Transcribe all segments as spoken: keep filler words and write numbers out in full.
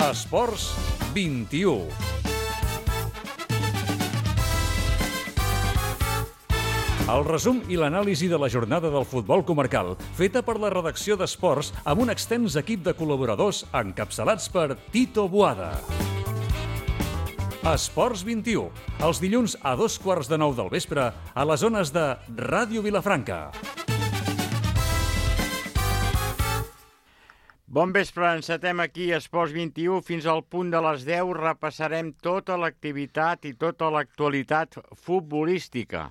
Esports vint-i-u. El resum i l'anàlisi de la jornada del futbol comarcal, feta per la redacció d'Esports amb un extens equip de col·laboradors encapçalats per Tito Boada. Esports vint-i-u, els dilluns a dos quarts de nou del vespre a les zones de Ràdio Vilafranca. Bon vespre, encetem aquí Esports vint-i-u. Fins al punt de les deu repassarem tota l'activitat i tota l'actualitat futbolística.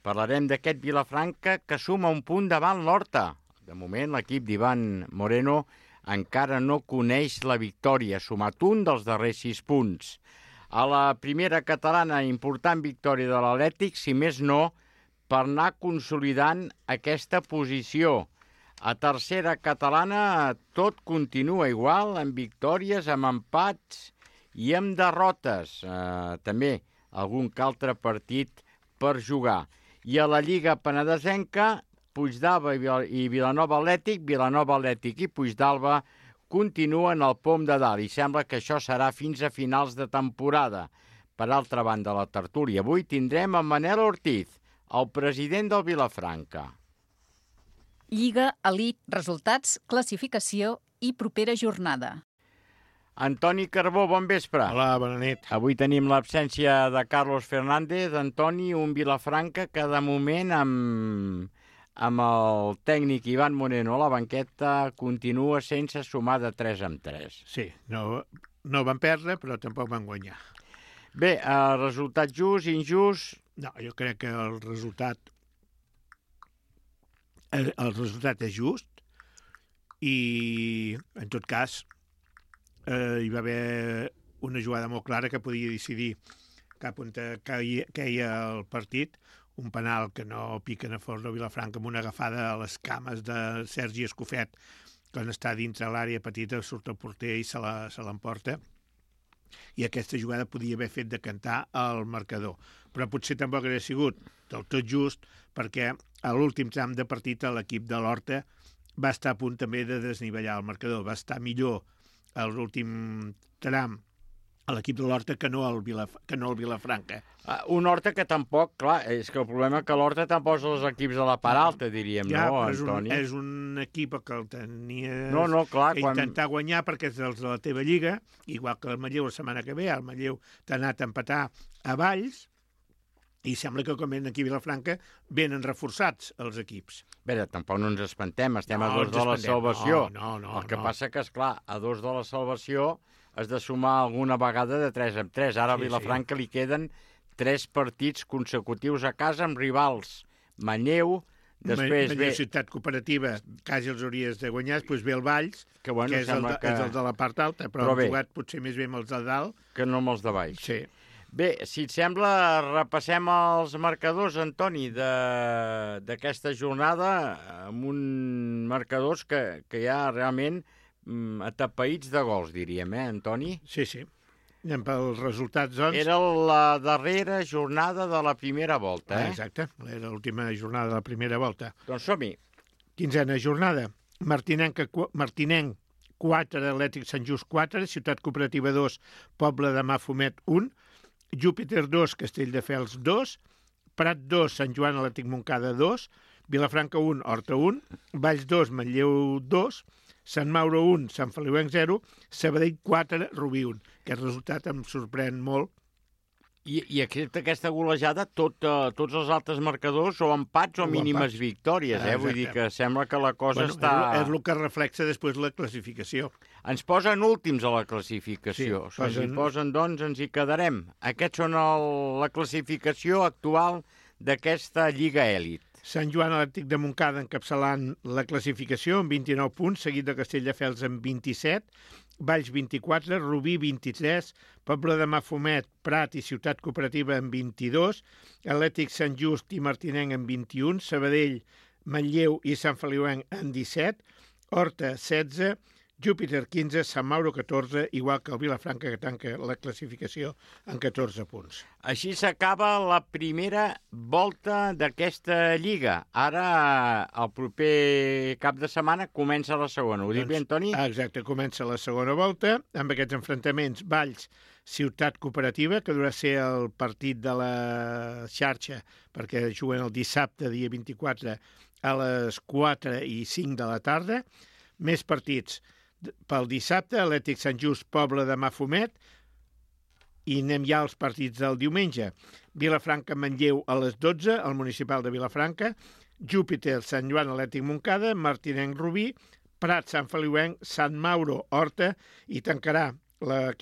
Parlarem d'aquest Vilafranca que suma un punt davant l'Horta. De moment, l'equip d'Ivan Moreno encara no coneix la victòria, ha sumat un dels darrers sis punts. A la primera catalana, important victòria de l'Atlètic, si més no, per anar consolidant aquesta posició. A tercera catalana tot continua igual, amb victòries, amb empats i amb derrotes. Eh, també algun que altre partit per jugar. I a la Lliga Penedesenca, Puigdàlber i Vilanova Atlètic, Vilanova Atlètic i Puigdàlber continuen al pom de dalt i sembla que això serà fins a finals de temporada. Per altra banda, la tertúlia avui tindrem a Manel Ortiz, el president del Vilafranca. Lliga, elit, resultats, classificació i propera jornada. Antoni Carbó, bon vespre. Hola, bona nit. Avui tenim l'absència de Carlos Fernández. Antoni, un Vilafranca que de moment amb, amb el tècnic Ivan Moreno a la banqueta continua sense sumar de tres en tres. Sí, no, no van perdre, però tampoc van guanyar. Bé, el resultat just, injust... No, jo crec que el resultat el, el resultat és just i, en tot cas, eh, hi va haver una jugada molt clara que podia decidir cap on queia, queia el partit, un penal que no piquen a fons de Vilafranca amb una agafada a les cames de Sergi Escofet, quan està dintre l'àrea petita, surt el porter i se l'emporta. I aquesta jugada podia haver fet decantar el marcador. Però potser tampoc hauria sigut del tot just, perquè a l'últim tram de partit l'equip de l'Horta va estar a punt també de desnivellar el marcador, va estar millor a l'últim tram a l'equip de l'Horta que no al Vilaf que no al Vilafranca. Uh, un Horta que tampoc, clar, és que el problema és que l'Horta tampoc posa els equips de la part alta, diríem, ja, no, és Antoni? Un, és un equip que el tenies no, no, clar, que quan... intentar guanyar perquè és dels de la teva lliga, igual que el Manlleu la setmana que ve, el Manlleu t'ha anat a empatar a Valls, i sembla que com ven aquí a Vilafranca venen reforçats els equips. Bé, tampoc no ens espantem, estem no, a dos de la salvació. No, no, no, el que no. passa que, esclar, a dos de la salvació has de sumar alguna vegada de tres en tres. Ara sí, a Vilafranca sí. li queden tres partits consecutius a casa amb rivals. Manlleu, després Manlleu ve... Ciutat Cooperativa, quasi els hauries de guanyar, després ve el Valls, que, bueno, que, és el de, que és el de la part alta, però, però han bé, jugat potser més bé amb els de dalt. Que no amb els de baix. Sí. Bé, si et sembla, repassem els marcadors, Antoni, d'aquesta jornada, amb un marcadors que, que hi ha realment mm, atapeïts de gols, diríem, eh, Antoni? Sí, sí. Anem pels resultats, doncs. Era la darrera jornada de la primera volta, eh? Ah, exacte, era l'última jornada de la primera volta. Doncs som-hi. Quinzena jornada. Martinenc, Martinenc quatre, Atlètic Sant Just quatre, Ciutat Cooperativa dos, Poble de Mafumet un, Júpiter dos, Castelldefels dos, Prat dos, Sant Joan Atlètic Montcada dos, Vilafranca un, Horta un, Valls dos, Manlleu dos, Sant Mauro un, Sant Feliuenc zero, Sabadell quatre, Rubí un. Aquest resultat em sorprèn molt. I, i aquesta, aquesta golejada, tot, uh, tots els altres marcadors o empats o, o mínimes empats. Victòries, eh? Ah, vull dir que sembla que la cosa bueno, està... És, és el que reflexa després la classificació. Ens posen últims a la classificació. Sí, si posen... ens hi posen, doncs, ens hi quedarem. Aquests són el, la classificació actual d'aquesta Lliga Èlit. Sant Joan Atlètic de Montcada encapçalant la classificació amb vint-i-nou punts, seguit de Castelldefels amb vint-i-set, Valls vint-i-quatre, Rubí vint-i-tres, Poble de Mafumet, Prat i Ciutat Cooperativa amb vint-i-dos, Atlètic Sant Just i Martinenc amb vint-i-un, Sabadell, Manlleu i Sant Feliuenc amb disset, Horta setze, Júpiter quinze, Sant Mauro catorze, igual que el Vilafranca, que tanca la classificació en catorze punts. Així s'acaba la primera volta d'aquesta lliga. Ara, el proper cap de setmana, comença la segona. Ho dic bé, Antoni? Exacte, comença la segona volta, amb aquests enfrontaments Valls, Ciutat Cooperativa, que durà ser el partit de la xarxa, perquè juguen el dissabte, dia vint-i-quatre, a les quatre i cinc de la tarda. Més partits pel dissabte, Atlètic Sant Just, Pobla de Mafumet, i anem ja als partits del diumenge. Vilafranca, Manlleu a les dotze, el municipal de Vilafranca, Júpiter, Sant Joan, Atlètic Montcada, Martinenc, Rubí, Prat, Sant Feliuenc, Sant Mauro, Horta, i tancarà la,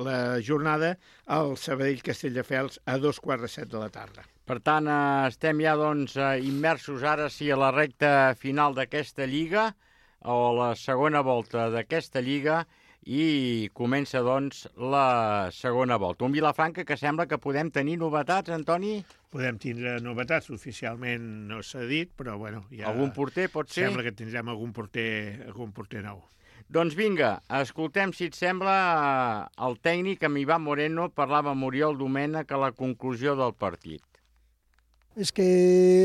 la jornada al Sabadell, Castelldefels, a dos quarts de set de la tarda. Per tant, estem ja doncs, immersos ara sí a la recta final d'aquesta lliga, o la segona volta d'aquesta lliga, i comença, doncs, la segona volta. Un Vilafranca que sembla que podem tenir novetats, Antoni? Podem tindre novetats, oficialment no s'ha dit, però, bueno, ja... Algun porter, pot ser? Sembla que tindrem algun porter, algun porter nou. Doncs vinga, escoltem, si et sembla, el tècnic, amb Ivan Moreno, parlava amb Oriol Domènech a la conclusió del partit. És que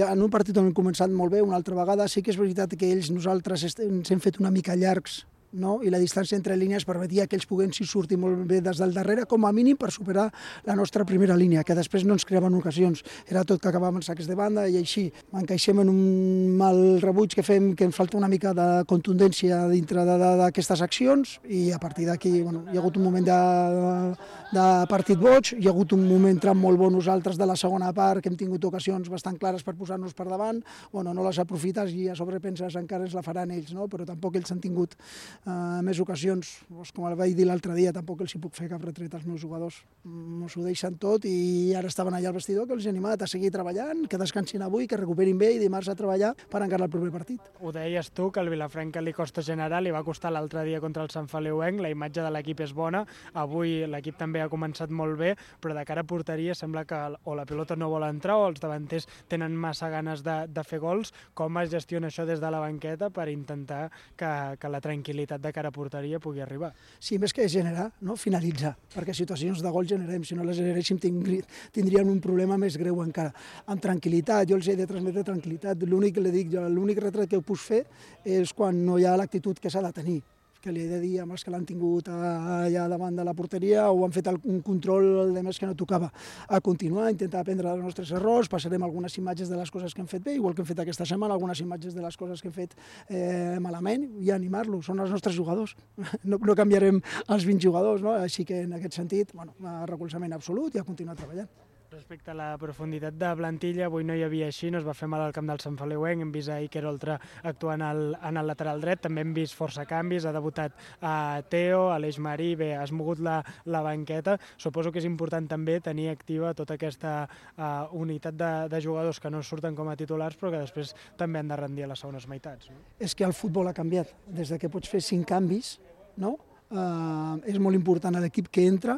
en un partit on hem començat molt bé, una altra vegada, sí que és veritat que ells, nosaltres, ens hem fet una mica llargs, no? I la distància entre línies permetia que ells poguessin sortir molt bé des del darrere, com a mínim per superar la nostra primera línia, que després no ens creaven ocasions. Era tot que acabàvem en sacs de banda i així. Encaixem en un mal rebuig que fem, que em falta una mica de contundència dintre d'aquestes accions, i a partir d'aquí, bueno, hi ha hagut un moment de, de partit boig, hi ha hagut un moment tram molt bo nosaltres de la segona part, que hem tingut ocasions bastant clares per posar-nos per davant, bueno, no les aprofites i a sobre penses encara ens la faran ells, no? Però tampoc ells han tingut Uh, més ocasions, doncs, com el vaig dir l'altre dia, tampoc els hi puc fer cap retret als meus jugadors. Ens ho deixen tot i ara estaven allà al vestidor, que els he animat a seguir treballant, que descansin avui, que recuperin bé i dimarts a treballar per encarar el proper partit. Ho deies tu, que el Vilafranca li costa generar, li va costar l'altre dia contra el Sant Feliuenc, la imatge de l'equip és bona, avui l'equip també ha començat molt bé, però de cara a porteria sembla que o la pilota no vol entrar o els davanters tenen massa ganes de, de fer gols. Com es gestiona això des de la banqueta per intentar que, que la tranquil·litat de cara a porteria pugui arribar? Sí, més que generar, no? Finalitzar, perquè situacions de gol generem, si no les generéssim tindríem un problema més greu encara. Amb tranquil·litat, jo els he de transmetre tranquil·litat, l'únic que li dic, l'únic retret que ho puc fer és quan no hi ha l'actitud que s'ha de tenir, que li he de dir amb els que l'han tingut allà davant de la porteria o han fet un control de més que no tocava. A continuar, intentar aprendre dels nostres errors, passarem algunes imatges de les coses que hem fet bé, igual que hem fet aquesta setmana, algunes imatges de les coses que hem fet eh, malament, i animar-los, són els nostres jugadors. No, no canviarem els vint jugadors, no? Així que en aquest sentit, bueno, recolzament absolut i a continuar treballant. Respecte a la profunditat de plantilla, avui no hi havia així, no es va fer mal al camp del Sant Feliuenc, hem vist a Iker Oltra actuant al, en el lateral dret, també hem vist força canvis, ha debutat a Teo, Aleix Marí, bé, has mogut la, la banqueta, suposo que és important també tenir activa tota aquesta uh, unitat de, de jugadors que no surten com a titulars però que després també han de rendir a les segones meitats. No? És que el futbol ha canviat, des de que pots fer cinc canvis, no? Uh, és molt important l'equip que entra,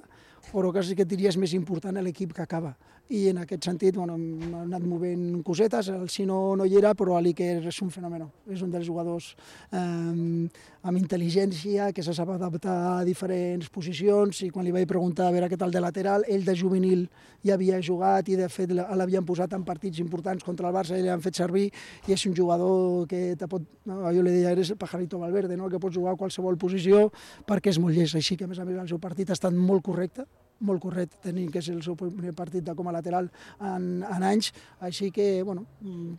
però quasi que diria és més important l'equip que acaba. I en aquest sentit, bueno, hem anat movent cosetes, el Sino no hi era, però l'Iker és un fenomen. És un dels jugadors eh, amb intel·ligència, que se sap adaptar a diferents posicions, i quan li vaig preguntar a veure què tal de lateral, ell de juvenil ja havia jugat i de fet l'havien posat en partits importants contra el Barça i l'han fet servir, i és un jugador que te pot, no, jo li deia, eres el pajarito Valverde, no? Que pot jugar a qualsevol posició perquè és molt llest, així que a més a més el seu partit ha estat molt correcte, molt correcte, tenint que és el seu primer partit de com a lateral en, en anys, així que, bueno,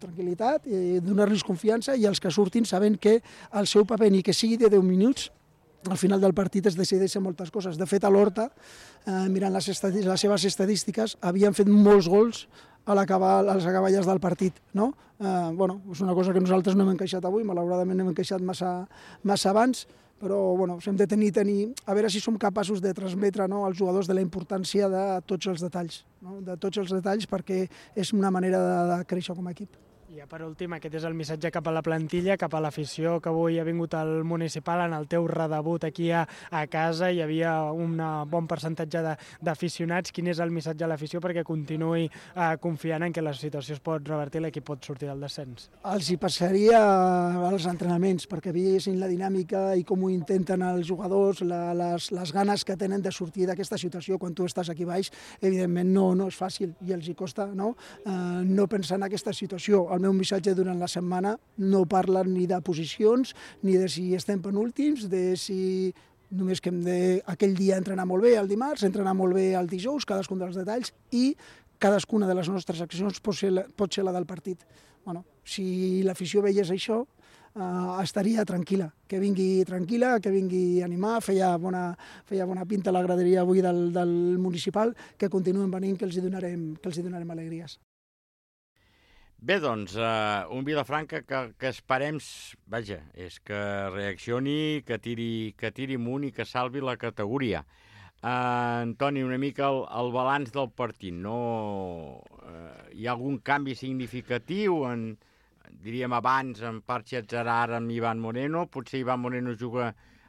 tranquil·litat, eh, donar-los confiança i els que surtin sabent que el seu paper, ni que sigui de deu minuts, al final del partit es decideixen moltes coses. De fet, a l'Horta, eh, mirant les, les seves estadístiques, havien fet molts gols a l'acabar les acaballes del partit, no? Eh, bueno, és una cosa que nosaltres no hem encaixat avui, malauradament no hem encaixat massa, massa abans, però bueno, hem de tenir, tenir, a veure si som capaços de transmetre, no, als jugadors de la importància de tots els detalls, no? De tots els detalls, perquè és una manera de, de créixer com a equip. I ja per últim, aquest és el missatge cap a la plantilla, cap a l'afició, que avui ha vingut al municipal en el teu redebut aquí a, a casa. Hi havia un bon percentatge d'aficionats. Quin és el missatge a l'afició perquè continuï eh, confiant en que la situació es pot revertir i l'equip pot sortir del descens? Els hi passaria als entrenaments, perquè veiessin la dinàmica i com ho intenten els jugadors, la, les, les ganes que tenen de sortir d'aquesta situació. Quan tu estàs aquí baix, evidentment no, no és fàcil i els hi costa no, eh, no pensar en aquesta situació. El meu missatge durant la setmana no parla ni de posicions, ni de si estem penúltims, de si només que hem de aquell dia entrenar molt bé el dimarts, entrenar molt bé el dijous, cadascun dels detalls, i cadascuna de les nostres accions pot ser la, pot ser la del partit. Bueno, si l'afició veiés això, Uh, estaria tranquil·la, que vingui tranquil·la, que vingui a animar, feia bona, feia bona pinta la graderia avui del, del municipal, que continuen venint, que els hi donarem, que els hi donarem alegries. Bé, doncs, uh, un Vilafranca que, que esperem, vaja, és que reaccioni, que tiri, que tiri amunt i que salvi la categoria. Uh, Antoni, una mica el, el balanç del partit, no? Uh, hi ha algun canvi significatiu en... diríem abans, amb Parche Zarar, amb Ivan Moreno, potser Ivan Moreno juga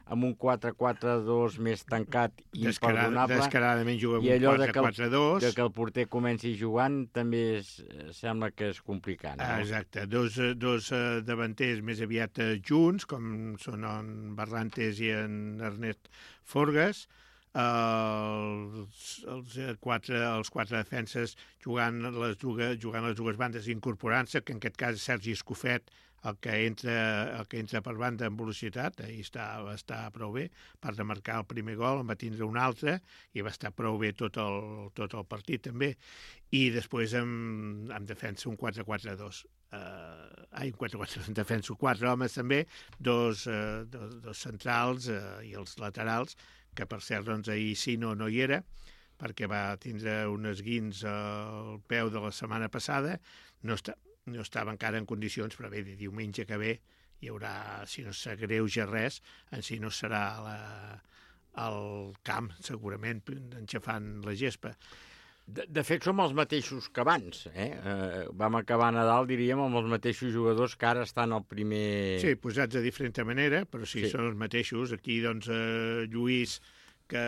amb un quatre quatre dos més tancat i imperdonable. Descaradament juga amb un quatre quatre dos. I allò de que el porter comenci jugant també és, sembla que és complicat. No? Ah, exacte, dos, dos uh, davanters més aviat uh, junts, com són en Barrantes i en Ernest Forgas, Uh, els, els, quatre, els quatre defenses jugant les dues, jugant les dues bandes incorporant-se, que en aquest cas Sergi Escofet, el que entra, el que entra per banda amb velocitat, ahir està, va estar prou bé, per de marcar el primer gol, en va tindre un altre, i va estar prou bé tot el, tot el partit també. I després amb, amb defensa un quatre quatre dos. Uh, ai, un quatre quatre dos, en defensa quatre homes també, dos, uh, dos, dos centrals uh, i els laterals, que per cert, doncs, ahir sí no, no hi era, perquè va tindre un esguins al peu de la setmana passada, no, està, no estava encara en condicions, però bé, de diumenge que ve hi haurà, si no s'agreuja res, en si no serà la, al camp, segurament, enxafant la gespa. De, de fet, som els mateixos que abans. Eh? Eh, vam acabar Nadal, diríem, amb els mateixos jugadors que ara estan al primer... Sí, posats de diferent manera, però sí, sí. Són els mateixos. Aquí, doncs, eh, Lluís, que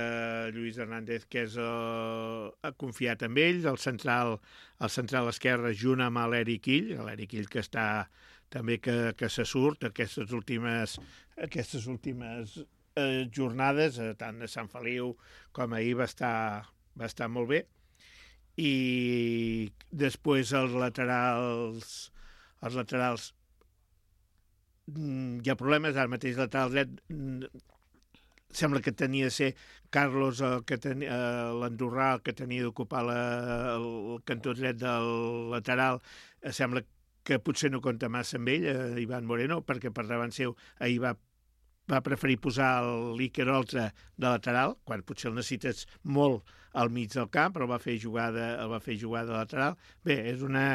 Lluís Hernández, que és, eh, ha confiat en ell, el central, el central esquerre, junt amb l'Eric Ill, l'Eric Ill que està també que, que se surt aquestes últimes, aquestes últimes eh, jornades, eh, tant a Sant Feliu com ahir va estar, va estar molt bé. I després els laterals els laterals hi ha problemes, ara mateix lateral dret sembla que tenia de ser Carlos el que tenia, l'andorrà el que tenia d'ocupar el cantó dret del lateral, sembla que potser no compta massa amb ell, eh, Ivan Moreno, perquè per davant seu ahir va va preferir posar l'Iker Oltra de lateral, quan potser el necessites molt al mig del camp, però el va fer jugar de, el va fer jugar de lateral. Bé, és una,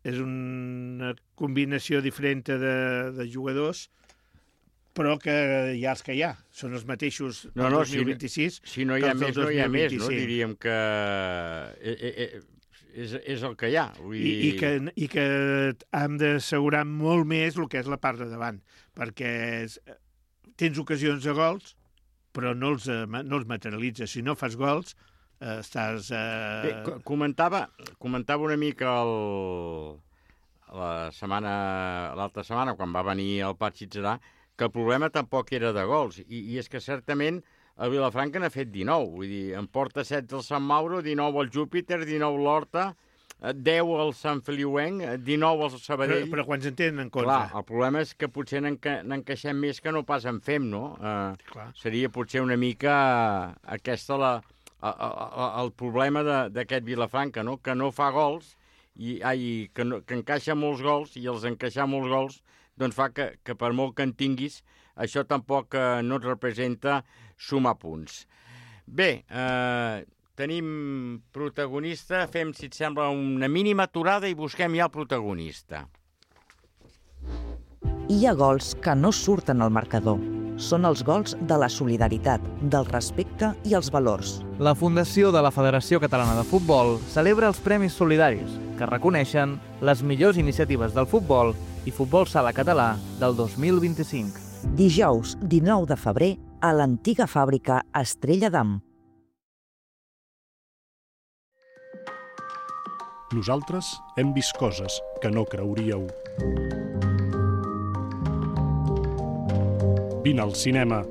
és una combinació diferent de, de jugadors, però que hi ha els que hi ha. Són els mateixos del no, no, dos mil vint-i-sis. Si, si no hi ha més, no hi ha més, no? Diríem que és, és el que hi ha. Vull dir... I, i, que, I que hem d'assegurar molt més el que és la part de davant, perquè és, tens ocasions de gols, però no els, no els materialitzes. Si no fas gols, eh, estàs... Eh... Bé, comentava, comentava una mica el, la setmana, l'altra setmana, quan va venir el Patxi Tzarà, que el problema tampoc era de gols. I, i és que certament el Vilafranca n'ha fet dinou. Vull dir, en porta setze el Sant Mauro, dinou el Júpiter, dinou l'Horta, deu al Sant Feliuenc, dinou al Sabadell... Però, però quants en tenen en compte? Clar, el problema és que potser n'encaixem més que no pas en fem, no? Eh, seria potser una mica aquesta la, el, el problema d'aquest Vilafranca, no? Que no fa gols, i ai, que, no, que encaixa molts gols, i els encaixar molts gols doncs fa que, que per molt que en tinguis, això tampoc eh, no et representa sumar punts. Bé, eh, tenim protagonista, fem, si et sembla, una mínima aturada i busquem ja el protagonista. Hi ha gols que no surten al marcador. Són els gols de la solidaritat, del respecte i els valors. La Fundació de la Federació Catalana de Futbol celebra els Premis Solidaris que reconeixen les millors iniciatives del futbol i futbol sala català del dos mil vint-i-cinc. Dijous dinou de febrer a l'antiga fàbrica Estrella d'Am. Nosaltres hem vist coses que no creuríeu. Vine al cinema.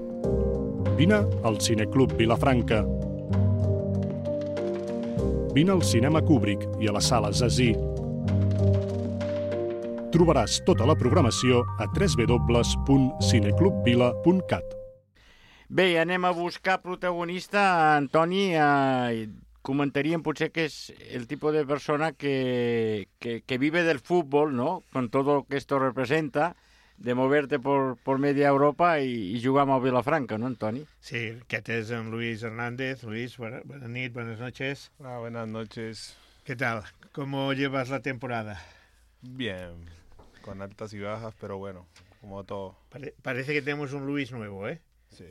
Vine al Cineclub Vilafranca. Vine al cinema Kubrick i a la sala Zazie. Trobaràs tota la programació a w w w punt cineclubvila punt cat. Bé, anem a buscar protagonista. Antoni, eh, comentaríem potser que és el tipus de persona que, que, que vive del fútbol, ¿no? Con todo lo que esto representa, de moverte por, por media Europa y, y jugar amb el Vilafranca, ¿no, Antoni? Sí, aquest és en Luis Hernández. Luis, buena, buena nit, buenas noches. Ah, buenas noches. ¿Qué tal? ¿Cómo llevas la temporada? Bien, con altas y bajas, pero bueno, como todo. Pare- parece que tenemos un Luis nuevo, ¿eh? Sí.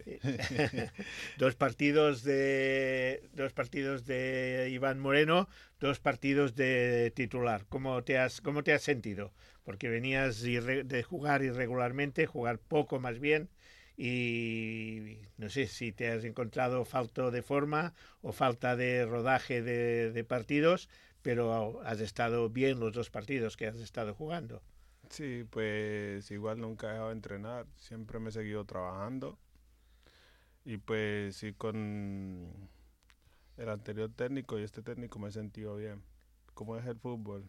dos partidos de dos partidos de Iván Moreno, dos partidos de titular. ¿Cómo te has cómo te has sentido? Porque venías irre- de jugar irregularmente, jugar poco más bien, y no sé si te has encontrado falta de forma o falta de rodaje de, de partidos, pero has estado bien los dos partidos que has estado jugando. Sí, pues igual nunca he dejado de entrenar, siempre me he seguido trabajando. Y pues sí, con el anterior técnico y este técnico me he sentido bien. Como es el fútbol,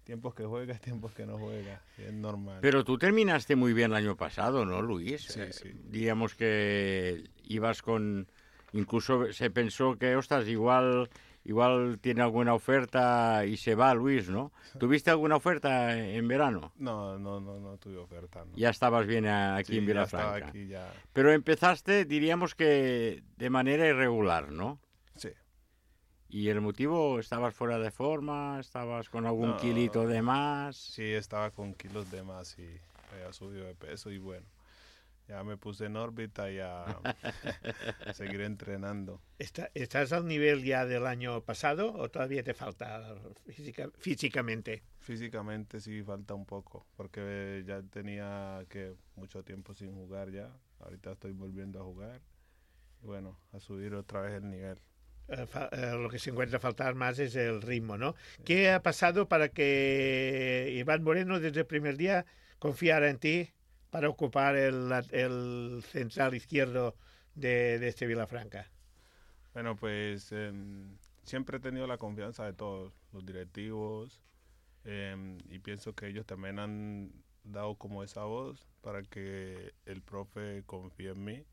tiempos que juegas, tiempos que no juegas, es normal. Pero tú terminaste muy bien el año pasado, ¿no, Luis? Sí, Eh, sí. Digamos que ibas con... Incluso se pensó que, ostras, igual, igual tiene alguna oferta y se va, Luis, ¿no? ¿Tuviste alguna oferta en verano? No, no, no, no tuve oferta. No. Ya estabas bien aquí Sí, en ya Vilafranca. estaba aquí, ya. Pero empezaste, diríamos que de manera irregular, ¿no? Sí. ¿Y el motivo? ¿Estabas fuera de forma? ¿Estabas con algún No, kilito de más? Sí, estaba con kilos de más y había subido de peso y bueno, ya me puse en órbita y a, a seguir entrenando. ¿Está- ¿Estás al nivel ya del año pasado o todavía te falta física- físicamente? Físicamente sí falta un poco, porque ya tenía que mucho tiempo sin jugar ya. Ahorita estoy volviendo a jugar. Y bueno, a subir otra vez el nivel. Eh, fa- eh, lo que se encuentra a faltar más es el ritmo, ¿no? ¿Qué ha pasado para que Iván Moreno desde el primer día confiara en ti para ocupar el, la- el central izquierdo de, de este Vilafranca? Bueno, pues em, siempre he tenido la confianza de todos, los directivos, em, y pienso que ellos también han dado como esa voz para que el profe confíe en mí.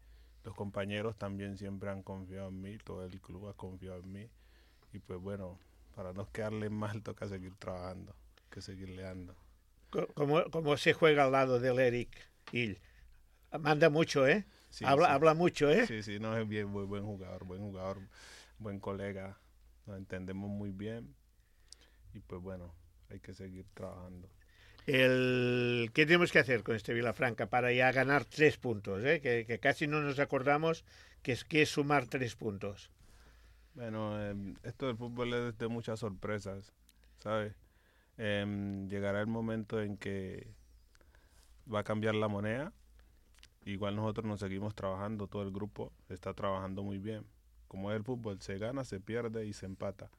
Los compañeros también siempre han confiado en mí, todo el club ha confiado en mí. Y pues bueno, para no quedarle mal toca seguir trabajando, que seguirle dando. Co- ¿Cómo, cómo se juega al lado del Eric Hill? Manda mucho, ¿eh? Sí, habla, sí. habla mucho, ¿eh? Sí, sí, no, es bien, muy buen jugador, buen jugador, buen colega, nos entendemos muy bien y pues bueno, hay que seguir trabajando. El, ¿Qué tenemos que hacer con este Vilafranca para ya ganar tres puntos? ¿eh? Que, que casi no nos acordamos que es, que es sumar tres puntos. Bueno, em, esto del fútbol es de muchas sorpresas, ¿sabes? Em, llegará el momento en que va a cambiar la moneda. Igual nosotros nos seguimos trabajando, todo el grupo está trabajando muy bien. Como es el fútbol, se gana, se pierde y se empata.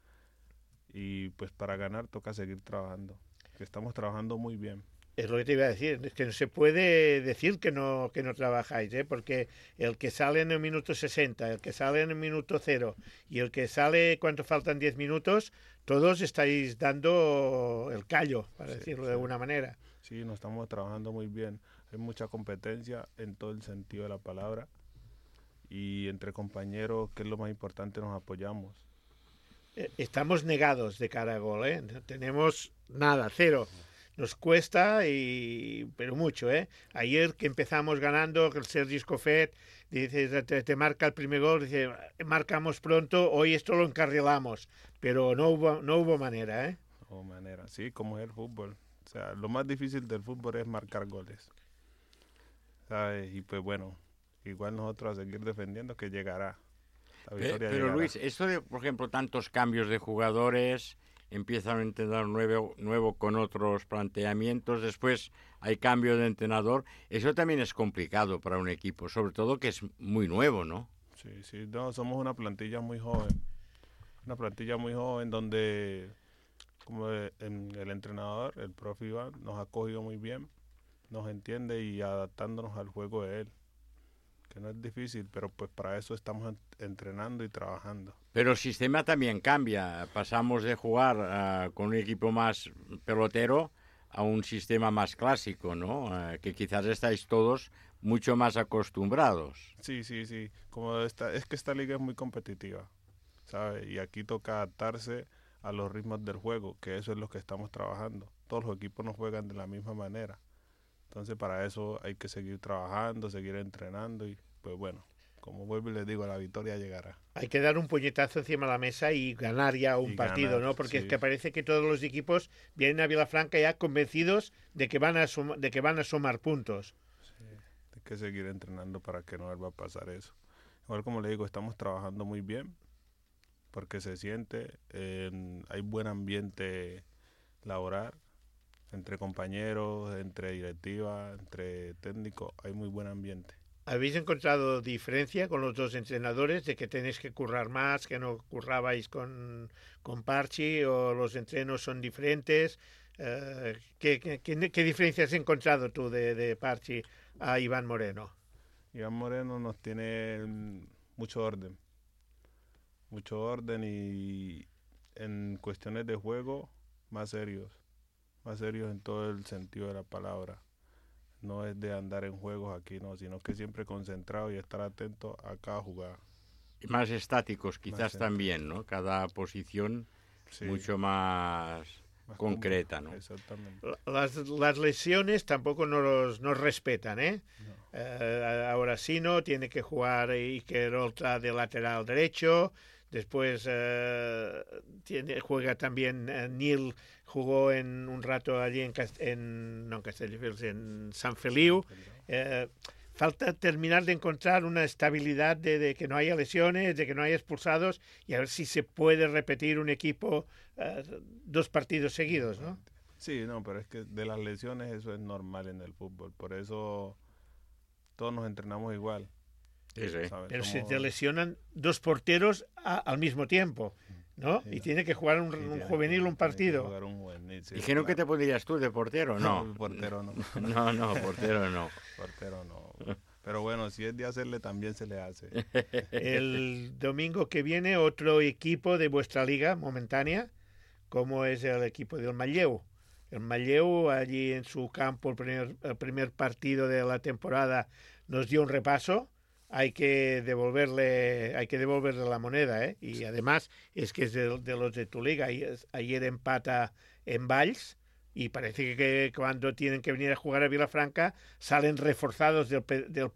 Y pues para ganar toca seguir trabajando, que estamos trabajando muy bien. Es lo que te iba a decir, es que no se puede decir que no, que no trabajáis, ¿eh? Porque el que sale en el minuto sesenta, el que sale en el minuto cero y el que sale cuando faltan diez minutos, todos estáis dando el callo, para Sí, decirlo sí. de alguna manera. Sí, nos estamos trabajando muy bien. Hay mucha competencia en todo el sentido de la palabra. Y entre compañeros, que es lo más importante, nos apoyamos. Eh, Estamos negados de cara a gol, ¿eh? No tenemos nada, cero. Nos cuesta, y pero mucho, ¿eh? Ayer que empezamos ganando, que el Sergi Escofet dice, te, te marca el primer gol, dice, marcamos pronto, hoy esto lo encarrilamos, pero no hubo, no hubo manera, ¿eh? O manera, sí, como es el fútbol. O sea, lo más difícil del fútbol es marcar goles. ¿Sabes? Y pues bueno, igual nosotros a seguir defendiendo que llegará. La Pe- victoria Pero llegará. Luis, esto de, por ejemplo, tantos cambios de jugadores, empieza un entrenador nuevo, nuevo con otros planteamientos, después hay cambio de entrenador. Eso también es complicado para un equipo, sobre todo que es muy nuevo, ¿no? Sí, sí, no, somos una plantilla muy joven, una plantilla muy joven donde como el, el entrenador, el profe Iván, nos ha cogido muy bien, nos entiende y adaptándonos al juego de él, que no es difícil, pero pues para eso estamos entrenando y trabajando. Pero el sistema también cambia, pasamos de jugar uh, con un equipo más pelotero a un sistema más clásico, ¿no? Uh, que quizás estáis todos mucho más acostumbrados. Sí, sí, sí, como esta, es que esta liga es muy competitiva, ¿sabes? Y aquí toca adaptarse a los ritmos del juego, que eso es lo que estamos trabajando. Todos los equipos no juegan de la misma manera. Entonces para eso hay que seguir trabajando, seguir entrenando y pues bueno, como vuelvo y les digo, la victoria llegará. Hay que dar un puñetazo encima de la mesa y ganar ya un y partido, ganar, ¿no? Porque sí. es que parece que todos los equipos vienen a Vilafranca ya convencidos de que van a, sum de que van a sumar puntos. Sí, hay que seguir entrenando para que no vuelva a pasar eso. Igual como le digo, estamos trabajando muy bien porque se siente, eh, hay buen ambiente laboral, entre compañeros, entre directiva, entre técnicos, hay muy buen ambiente. ¿Habéis encontrado diferencia con los dos entrenadores de que tenéis que currar más, que no currabais con, con Parchi, o los entrenos son diferentes? Eh, ¿qué, qué, qué, ¿Qué diferencia has encontrado tú de, de Parchi a Iván Moreno? Iván Moreno nos tiene mucho orden, mucho orden y en cuestiones de juego más serios. más serios en todo el sentido de la palabra. No es de andar en juegos aquí, no, sino que siempre concentrado y estar atento a cada jugada. Y más estáticos quizás más también, ¿no? Cada posición sí. mucho más, más concreta, ¿no? Exactamente. Las, las lesiones tampoco nos, nos respetan, ¿eh? No. Eh, ahora sí no, tiene que jugar Iker Oltra de lateral derecho. Después eh, tiene, juega también eh, Neil, jugó en un rato allí en, en, no en Castelldefels, en San Feliu. Eh, falta terminar de encontrar una estabilidad de, de que no haya lesiones, de que no haya expulsados y a ver si se puede repetir un equipo eh, dos partidos seguidos, ¿no? Sí, no, pero es que de las lesiones eso es normal en el fútbol, por eso todos nos entrenamos igual. Sí, sí. Pero se te lesionan dos porteros a, al mismo tiempo, ¿no? Sí, y tiene que jugar un, sí, un juvenil que, un partido. Un juvenil, sí, ¿Dijeron claro. que te pondrías tú de portero? No. No, portero no. No, no, portero no. Portero no. Pero bueno, si es de hacerle, también se le hace. El domingo que viene, otro equipo de vuestra liga momentánea, como es el equipo del Manlleu. El Manlleu, allí en su campo, el primer, el primer partido de la temporada, nos dio un repaso. Hay que devolverle, hay que devolverle la moneda, ¿eh? Y además es que es de, de los de tu liga. Ayer empata en Valls y parece que cuando tienen que venir a jugar a Vilafranca salen reforzados del, del,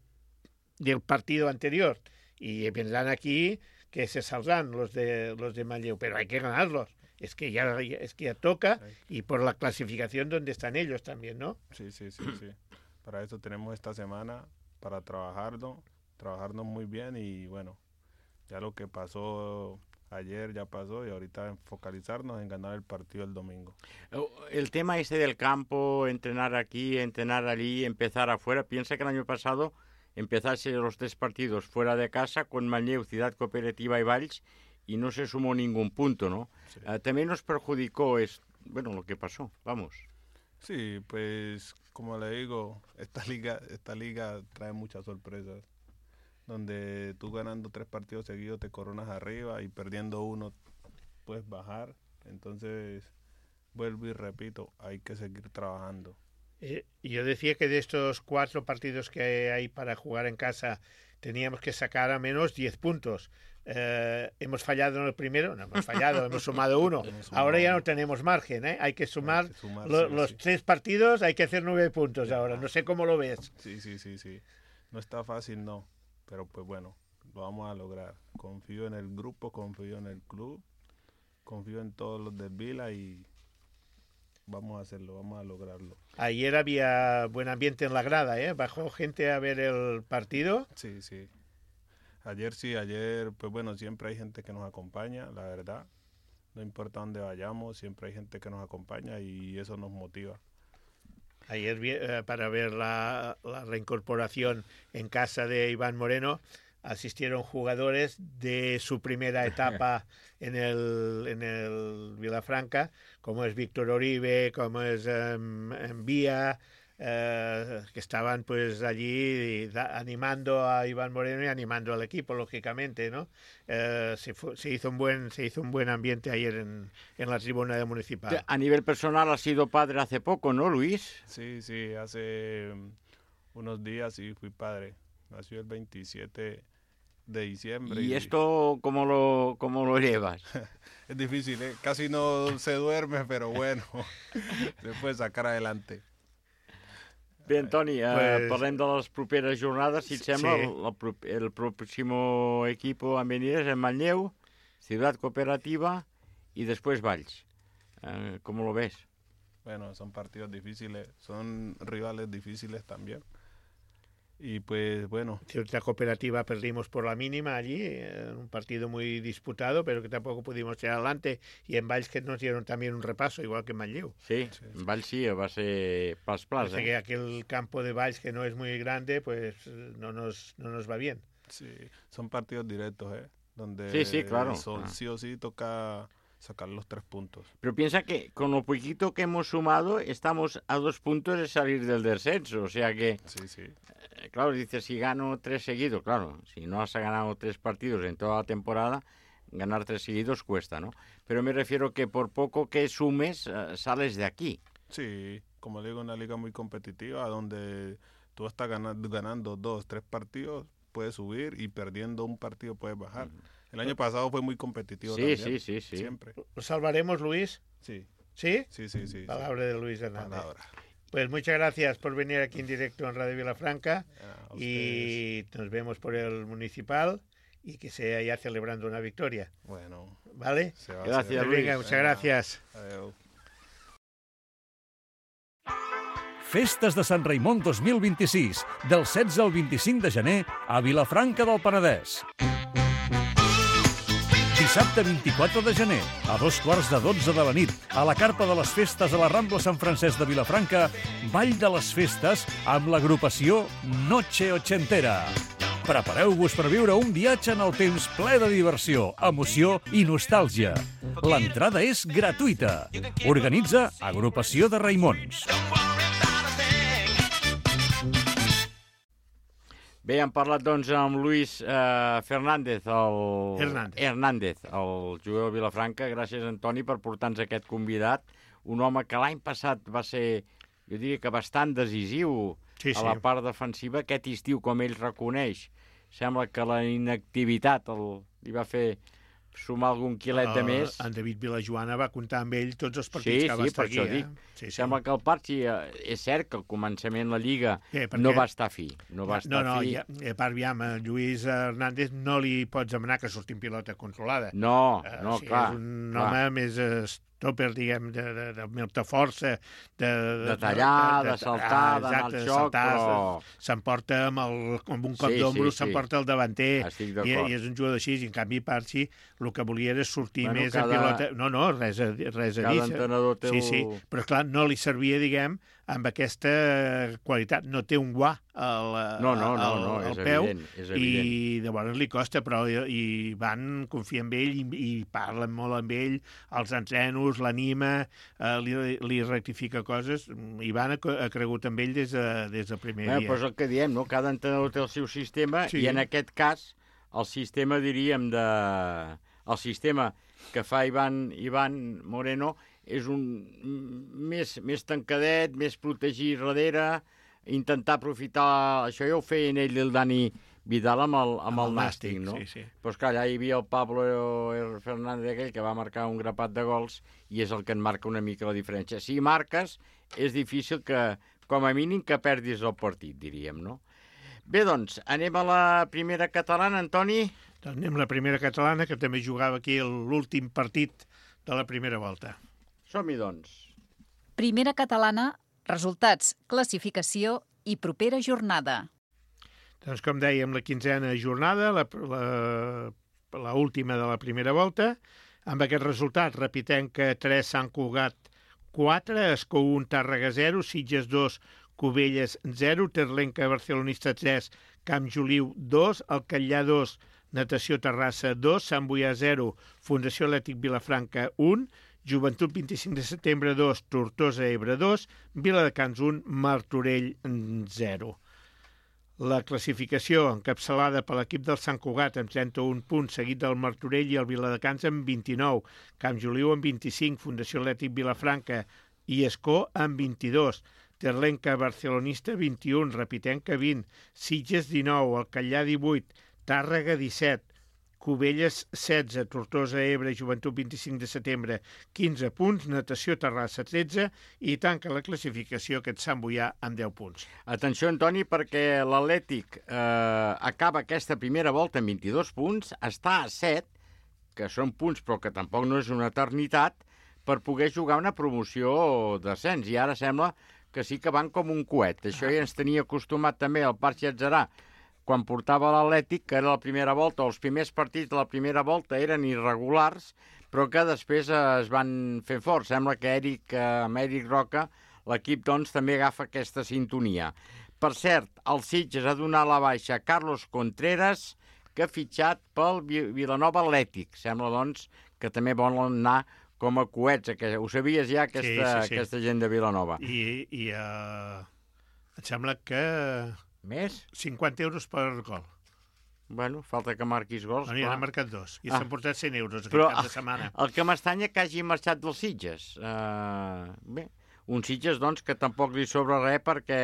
del partido anterior y vendrán aquí que se saldrán los de los de Manlleu, pero hay que ganarlos. Es que ya es que ya toca y por la clasificación donde están ellos también, ¿no? Sí, sí, sí, sí. Para eso tenemos esta semana para trabajarlo. trabajarnos muy bien y bueno, ya lo que pasó ayer ya pasó y ahorita focalizarnos en ganar el partido el domingo. El tema este del campo, entrenar aquí, entrenar allí, empezar afuera, piensa que el año pasado empezase los tres partidos fuera de casa con Manlleu, Ciudad Cooperativa y Valls y no se sumó ningún punto, ¿no? Sí. Uh, también nos perjudicó, es, bueno, lo que pasó, vamos. Sí, pues como le digo, esta liga, esta liga trae muchas sorpresas. Donde tú ganando tres partidos seguidos te coronas arriba y perdiendo uno puedes bajar. Entonces, vuelvo y repito, hay que seguir trabajando. Eh, yo decía que de estos cuatro partidos que hay para jugar en casa teníamos que sacar a menos diez puntos. Eh, hemos fallado en el primero, no hemos fallado, hemos sumado uno. Hemos sumado ahora ya no tenemos margen, ¿eh? Hay que sumar, hay que sumar lo, sí, los sí. tres partidos, hay que hacer nueve puntos ahora. No sé cómo lo ves. Sí, sí, sí, sí. No está fácil, no. Pero pues bueno, lo vamos a lograr. Confío en el grupo, confío en el club, confío en todos los del Vila y vamos a hacerlo, vamos a lograrlo. Ayer había buen ambiente en la grada, ¿eh? ¿Bajó gente a ver el partido? Sí, sí. Ayer sí, ayer, pues bueno, siempre hay gente que nos acompaña, la verdad. no importa dónde vayamos, siempre hay gente que nos acompaña y eso nos motiva. Ayer, eh, para ver la, la reincorporación en casa de Iván Moreno, asistieron jugadores de su primera etapa en el, en el Vilafranca, como es Víctor Oribe, como es um, Vía, eh, que estaban pues allí da, animando a Iván Moreno y animando al equipo, lógicamente, ¿no? Eh, se, fue, se hizo un buen se hizo un buen ambiente ayer en, en la tribuna de Municipal. A nivel personal has sido padre hace poco, ¿no, Luis? Sí, sí, hace unos días sí fui padre. Nació el veintisiete de diciembre. ¿Y, y... esto cómo lo, cómo lo llevas? Es difícil, ¿eh? Casi no se duerme, pero bueno, se puede sacar adelante. Bé, Toni, eh, pues... parlem de les properes jornades, si et sembla. Sí. El, el, el próximo equipo en venir es en Manlleu, Ciudad Cooperativa y después Valls. Eh, ¿Cómo lo ves? Bueno, son partidos difíciles, son rivales difíciles también. Y pues bueno. Ciudad Cooperativa perdimos por la mínima allí, en un partido muy disputado, pero que tampoco pudimos echar adelante. Y en Valls que nos dieron también un repaso, igual que en Manlleu. Sí, sí, sí. En Valls sí, va ser pas plas. Parece eh? que aquel campo de Valls que no es muy grande, pues no nos, no nos va bien. Sí, son partidos directos, ¿eh? Donde sí, sí, claro. Son, ah. sí o sí toca sacar los tres puntos. Pero piensa que con lo poquito que hemos sumado, estamos a dos puntos de salir del descenso, o sea que... Sí, sí. Eh, claro, dices, si gano tres seguidos, claro, si no has ganado tres partidos en toda la temporada, ganar tres seguidos cuesta, ¿no? Pero me refiero que por poco que sumes, uh, sales de aquí. Sí, como digo, una liga muy competitiva, donde tú estás ganando, ganando dos, tres partidos, puedes subir, y perdiendo un partido puedes bajar. Uh-huh. El año pasado fue muy competitivo sí, también. Sí, sí, sí. Siempre. ¿Lo salvaremos, Luis? Sí. ¿Sí? Sí, sí, sí. Palabra sí. de Luis Hernández. Palabra. Pues muchas gracias por venir aquí en directo en Radio Vilafranca ah, y nos vemos por el Municipal y que sea ya celebrando una victoria. Bueno. ¿Vale? Gracias, Luis. Venga, muchas gracias. Adeu. Festes de Sant Raimon dos mil vint-i-sis, del setze al vint-i-cinc de gener a Vilafranca del Penedès. Dissabte vint-i-quatre de gener, a dos quarts de dotze de la nit, a la carpa de les festes a la Rambla Sant Francesc de Vilafranca, Ball de les Festes amb l'agrupació Noche Ochentera. Prepareu-vos per viure un viatge en el temps ple de diversió, emoció i nostàlgia. L'entrada és gratuïta. Organitza Agrupació de Raimons. Bé, hem parlat doncs amb Luis eh, Fernández, el... Hernández. Hernández, el jugador de Vilafranca. Gràcies, Antoni, per portar-nos aquest convidat. Un home que l'any passat va ser, jo diria que bastant decisiu sí, a la sí. part defensiva. Aquest estiu, com ell reconeix, sembla que la inactivitat el, li va fer sumar algun quilet de més. Uh, en David Vilajoana va comptar amb ell tots els partits sí, que va sí, estar per aquí. Això eh? dic. Sí, sí. Sembla que el Parchi, eh, és cert que al començament la Lliga eh, perquè... no va estar fi. No, va estar no, no, fi. Ja, a part, ja, amb Lluís Hernández no li pots demanar que surti en pilota controlada. No, uh, no, o sigui, clar. És un clar. home més stopper, diguem, de, de, de molta força. De, de tallar, de, de, de saltar, ah, d'anar al xoc, saltar, però... S'emporta amb, el, amb un cop sí, d'ombro, sí, s'emporta sí. el davanter. Estic I, d'acord. I és un jugador així. I en canvi, Parchi, el que volia era sortir bueno, més cada... en pilota. No, no, res a, res a cada dir. Cada entrenador té sí, el... sí, però clar, no li servia, diguem, amb aquesta qualitat. No té un guà al, no, no, no, al, no, al és peu evident, és evident. I llavors li costa, però i, i van confiar en ell i, i parlen molt amb ell, els entrenos, l'anima, eh, li, li rectifica coses. Ivan ha, ha cregut amb ell des, de, des del primer bueno, dia. Però és el que diem, no? Cada entrenador té el seu sistema sí. I en aquest cas el sistema, diríem, de... el sistema que fa Ivan, Ivan Moreno és un més, més tancadet, més protegir darrere, intentar aprofitar... Això ja ho feien ell i el Dani Vidal amb el, amb, amb el, el Nàstic, no? Sí, sí. Però esclar, allà hi havia el Pablo Fernández aquell que va marcar un grapat de gols i és el que en marca una mica la diferència. Si marques, és difícil que, com a mínim, que perdis el partit, diríem, no? Bé, doncs, anem a la primera catalana, Antoni? Doncs anem a la primera catalana, que també jugava aquí l'últim partit de la primera volta. Som-hi, doncs. Primera catalana, resultats, classificació i propera jornada. Doncs com dèiem, la quinzena jornada, la, la, la última de la primera volta, Amb aquest resultat, repitem que tres, Sant Cugat quatre, Escó un, Tàrrega zero, Sitges dos, Cubelles zero, Terlenca Barcelonista tres, Camp Joliu dos, Alcallà dos, Natació Terrassa dos, Sant Boià zero, Fundació Atlètic Vilafranca un, Joventut vint-i-cinc de setembre dos, Tortosa Ebre dos, Viladecans un, Martorell zero. La classificació encapçalada per l'equip del Sant Cugat amb trenta-un punts, seguit del Martorell i el Viladecans amb vint-i-nou, Camp Joliu amb vint-i-cinc, Fundació Atlètic Vilafranca i Escó amb vint-i-dos, Terlenca Barcelonista vint-i-un, Repitenca vint, Sitges dinou, Alcallà divuit, Tàrrega disset, Cubelles setze, Tortosa Ebre, Joventut vint-i-cinc de setembre, quinze punts, Natació Terrassa tretze i tanca la classificació aquest Sant Boià amb deu punts. Atenció, Antoni, perquè l'Atlètic eh, acaba aquesta primera volta amb vint-i-dos punts, està a set, que són punts però que tampoc no és una eternitat, per poder jugar una promoció d'ascens, i ara sembla que sí que van com un coet. Això ja ens tenia acostumat també el Parc Llatzerà, quan portava l'Atlètic, que era la primera volta, o els primers partits de la primera volta eren irregulars, però que després es van fer forts. Sembla que Eric, amb Eric Roca, l'equip doncs, també agafa aquesta sintonia. Per cert, el Sitges ha donat la baixa a Carlos Contreras, que ha fitxat pel Vilanova Atlètic. Sembla, doncs, que també volen anar com a coets. Ho sabies ja, aquesta, sí, sí, sí. aquesta gent de Vilanova. I, i uh, em sembla que... Més? cinquanta euros per gol. Bueno, falta que marquis gols. No, n'hi han marcat dos. I ah. s'han portat cent euros aquest Però, cap de setmana. El que m'estranya que hagi marxat dels Sitges. Uh, bé, un Sitges, doncs, que tampoc li sobra res perquè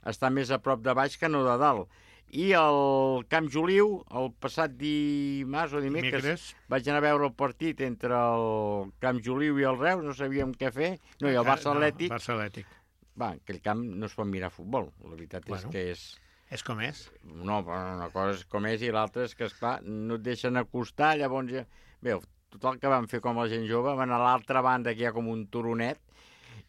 està més a prop de baix que no de dalt. I el Camp Joliu, el passat dimarts o dimecres, dimecres, vaig anar a veure el partit entre el Camp Joliu i el Reus, no sabíem què fer. No, i el Barça Atlètic. No, Barça Atlètic. Va, aquell camp no es pot mirar futbol. La veritat bueno, és que és... És com és. No, una cosa és com és i l'altra és que, esclar, no et deixen acostar, llavors... Ja... Bé, tot el que van fer com la gent jove, van a l'altra banda, que hi ha com un turonet,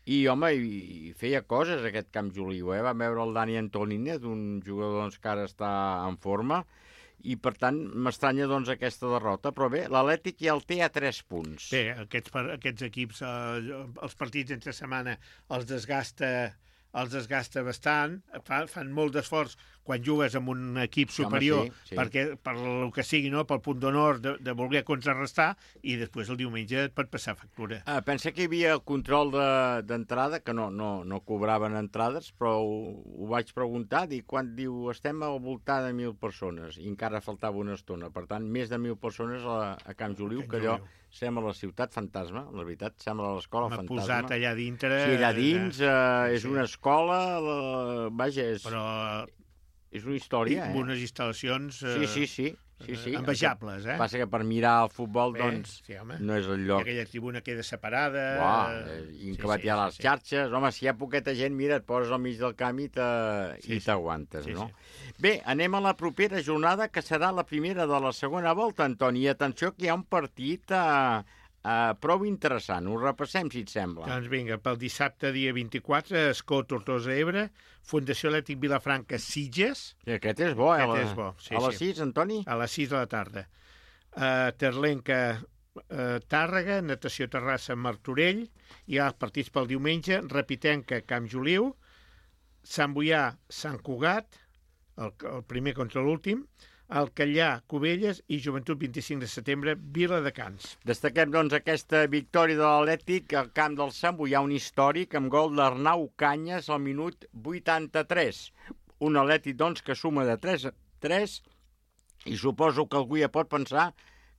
i, home, i feia coses aquest Camp Joliu, eh? Vam veure el Dani Antonínez, un jugador doncs, que ara està en forma, i, per tant, m'estranya doncs, aquesta derrota. Però bé, l'Atlètic ja el té a tres punts. Bé, aquests, aquests equips, eh, els partits entre setmana els desgasta, els desgasta bastant, fan, fan molt d'esforç quan jugues amb un equip superior, Home, sí, sí. perquè per el que sigui, no? Pel punt d'honor de, de voler contrarrestar, i després el diumenge et pot passar factura. Ah, pensa que hi havia control d'entrada, de, que no, no, no cobraven entrades, però ho, ho vaig preguntar, i quan diu estem al voltant de mil persones, i encara faltava una estona, per tant, més de mil persones a, a Camp Joliu, que allò sembla la ciutat fantasma, la veritat, sembla l'escola fantasma. Posat allà dintre... Sí, allà dins, eh, és sí. una escola, la, vaja, és... Però... És una història, amb eh? unes instal·lacions eh, sí, sí, sí, sí, sí. envejables, eh? Passa que per mirar el futbol, Bé, doncs, sí, no és el lloc. I aquella tribuna queda separada... Uau, i que va tirar les sí, xarxes. Home, si hi ha poqueta gent, mira, et poses al mig del camp i t'aguantes, sí, sí. no? Sí, sí. Bé, anem a la propera jornada, que serà la primera de la segona volta, Antoni. I atenció que hi ha un partit... Eh, Uh, prou interessant, ho repassem si et sembla. Doncs vinga, pel dissabte dia vint-i-quatre, Escó, Tortosa Ebre, Fundació Atlètic Vilafranca, Sitges. I aquest és bo, eh? Aquest la... és bo, sí, a les sí. sis, Antoni? A les sis de la tarda. Uh, Terlenca, uh, Tàrrega, Natació Terrassa, Martorell, i els partits pel diumenge, Repitenca, Camp Joliu, Sant Boià, Sant Cugat, el, el primer contra l'últim, Alcallà, Cubelles i Joventut vint-i-cinc de setembre, Viladecans. Destaquem, doncs, aquesta victòria de l'Atlètic al camp del Sant Boià, un històric amb gol d'Arnau Canyes al minut vuitanta-tres. Un Atlètic, doncs, que suma de tres a tres, i suposo que algú ja pot pensar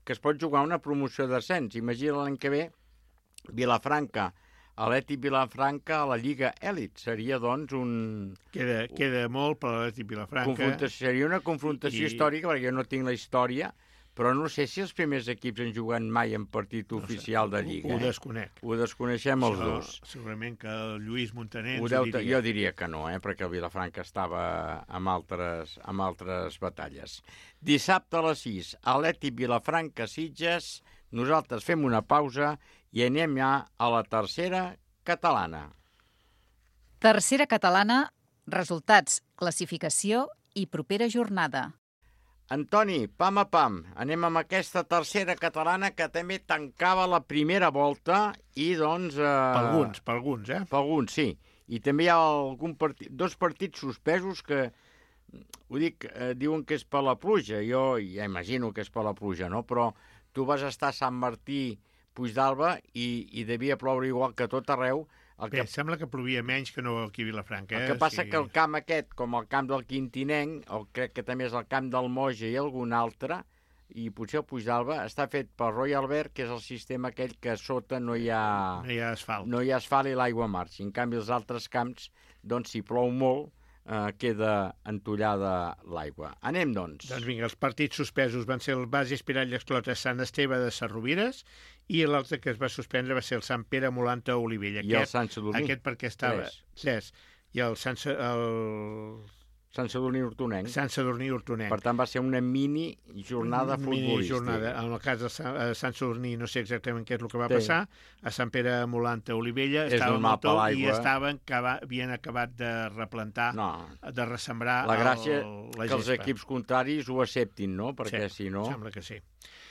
que es pot jugar una promoció d'ascens. Imagina l'any que ve, Vilafranca, Atlètic Vilafranca a la Lliga Elit. Seria, doncs, un... Queda, queda molt per l'Atlètic Vilafranca. Seria una confrontació I... històrica, perquè jo no tinc la història, però no sé si els primers equips han jugat mai en partit no oficial sé, de Lliga. Ho, ho desconec. Eh? Ho desconeixem els Això, dos. Segurament que el Lluís Montaner ho deu, diria. Jo diria que no, eh? perquè el Vilafranca estava amb altres, amb altres batalles. Dissabte a les sis, Atlètic Vilafranca Sitges. Nosaltres fem una pausa i anem ja a la tercera catalana. Tercera catalana, resultats, classificació i propera jornada. Antoni, pam a pam, anem amb aquesta tercera catalana que també tancava la primera volta i doncs... Eh... Per alguns, per alguns, eh? Per alguns, sí. I també hi ha algun partit, dos partits suspesos que, ho dic, eh, diuen que és per la pluja. Jo ja imagino que és per la pluja, no? Però tu vas estar a Sant Martí, Puigdàlber, i, i devia ploure igual que tot arreu. El que... Bé, sembla que plovia menys que no aquí a Vilafranca. Eh? El que passa sí. que el camp aquest, com el camp del Quintinenc, o crec que també és el camp del Moja i algun altre, i potser el Puigdàlber, està fet per Royal Albert, que és el sistema aquell que a sota no hi ha... No hi ha asfalt. No hi ha asfalt i l'aigua marxa. En canvi, els altres camps, doncs, si plou molt, eh, queda entollada l'aigua. Anem, doncs. Doncs vinga, els partits suspesos van ser el Basi Espirall Esclota Sant Esteve de Sarrovires i l'altre que es va suspendre va ser el Sant Pere Molanta Olivella. I aquest, el Sant Sadurní. Aquest perquè estava... Tres. Tres. I el Sant... El... Sant Sadurní Hortonenc. Sant Sadurní Hortonenc. Per tant, va ser una mini jornada futbolística. Mini jornada. En el cas de Sant, Sant Sadurní no sé exactament què és el que va sí. passar. A Sant Pere Molanta Olivella és estava molt tot i estaven, acaba, havien acabat de replantar, no. de ressembrar la gràcia el, la que els equips contraris ho acceptin, no? Perquè sí, si no... sembla que sí.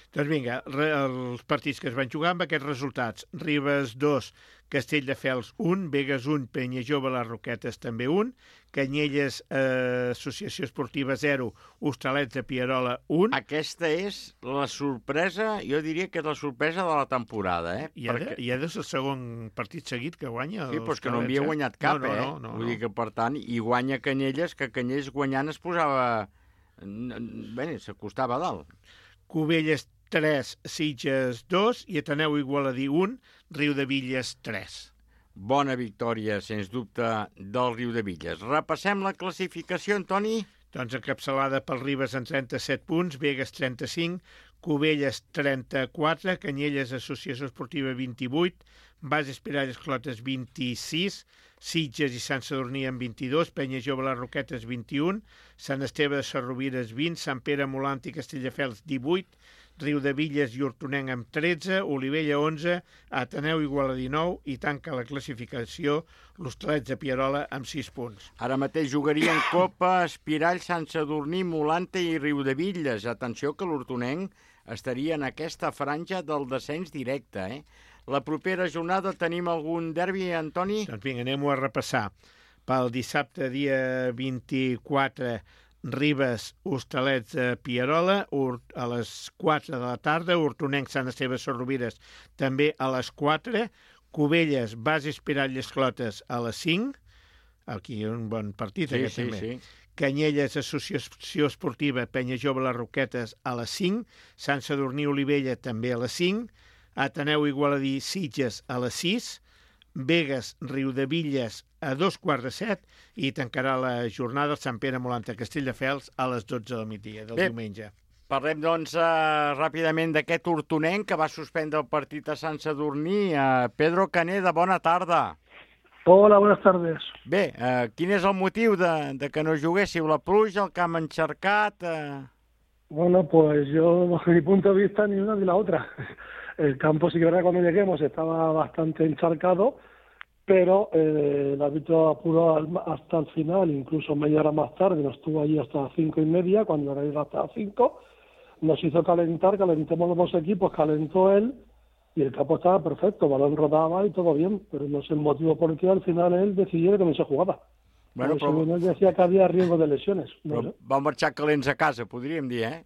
Doncs vinga, els partits que es van jugar amb aquests resultats. Ribes dos, Castelldefels un, Begues un, Penya Jove, les Roquetes també un, Canyelles, eh, Associació Esportiva zero, Hostalets de Pierola un. Aquesta és la sorpresa, jo diria que és la sorpresa de la temporada, eh? I ara, Perquè... i ara és el segon partit seguit que guanya. Sí, però és que no havia guanyat cap, no, no, eh? No, no, Vull no. dir que, per tant, i guanya Canyelles, que Canyelles guanyant es posava... Bé, s'acostava a dalt. Cubelles tres, Sitges dos i Ateneu Igualadí un, Riudevilles tres. Bona victòria, sens dubte, del Riudevilles. Repassem la classificació, Antoni? Doncs encapçalada pel Ribes en trenta-set punts, Begues trenta-cinc, Cubelles trenta-quatre, Canyelles Associació Esportiva vint-i-vuit, Bas Espirall Esclotes vint-i-sis, Sitges i Sant Sadurní amb vint-i-dos, Penya Jove les Roquetes vint-i-un, Sant Esteve de Sarrovires vint, Sant Pere Molant i Castelldefels divuit, Riudevilles i Hortonenc amb tretze, Olivella onze, Ateneu Igualadí nou i tanca la classificació l'Hostalets de Pierola amb sis punts. Ara mateix jugarien Copa, Espirall, Sant Sadurní, Molanta i Riudevilles. Atenció que l'Hortonenc estaria en aquesta franja del descens directe, eh? La propera jornada tenim algun derbi, Antoni? Doncs vinga, anem-ho a repassar. Pel dissabte, dia vint-i-quatre, Ribes, Hostalets de Pierola, a les quatre de la tarda, Hortonenc, Sant Esteve, Sarrovires, també a les quatre, Cubelles, Bas Espirall i Esclotes a les cinc, aquí un bon partit, sí, aquest sí, també. Sí. Canyelles, Associació Esportiva, Penya Jove, les Roquetes a les cinc, Sant Sadurní, Olivella també a les cinc, Ateneu Igualadí, Sitges a les sis, Begues, Riudevilles a dos quarts de set i tancarà la jornada el Sant Pere Molanta Castelldefels a les dotze del migdia del Bé, diumenge. Parlem, doncs, uh, ràpidament d'aquest Hortonenc que va suspendre el partit a Sant Sadurní. Uh, Pedro Caneda, bona tarda. Hola, buenas tardes. Bé, uh, quin és el motiu de, de que no juguéssiu? La pluja, el camp encharcat? Uh... Bueno, pues yo, desde mi punto de vista, ni una ni la otra. El campo, sí que verdad, cuando lleguemos estaba bastante encharcado, pero eh, el árbitro apuró al, hasta el final, incluso media hora más tarde, nos estuvo allí hasta las cinco y media, cuando era hasta las cinco, nos hizo calentar, calentemos los dos equipos, calentó él, y el campo estaba perfecto, el balón rodaba y todo bien, pero no sé el motivo por el que al final él decidió que no se jugaba. Bueno, però... Él decía que había riesgo de lesiones. No sé. Van marxar calents a casa, podríem dir, eh?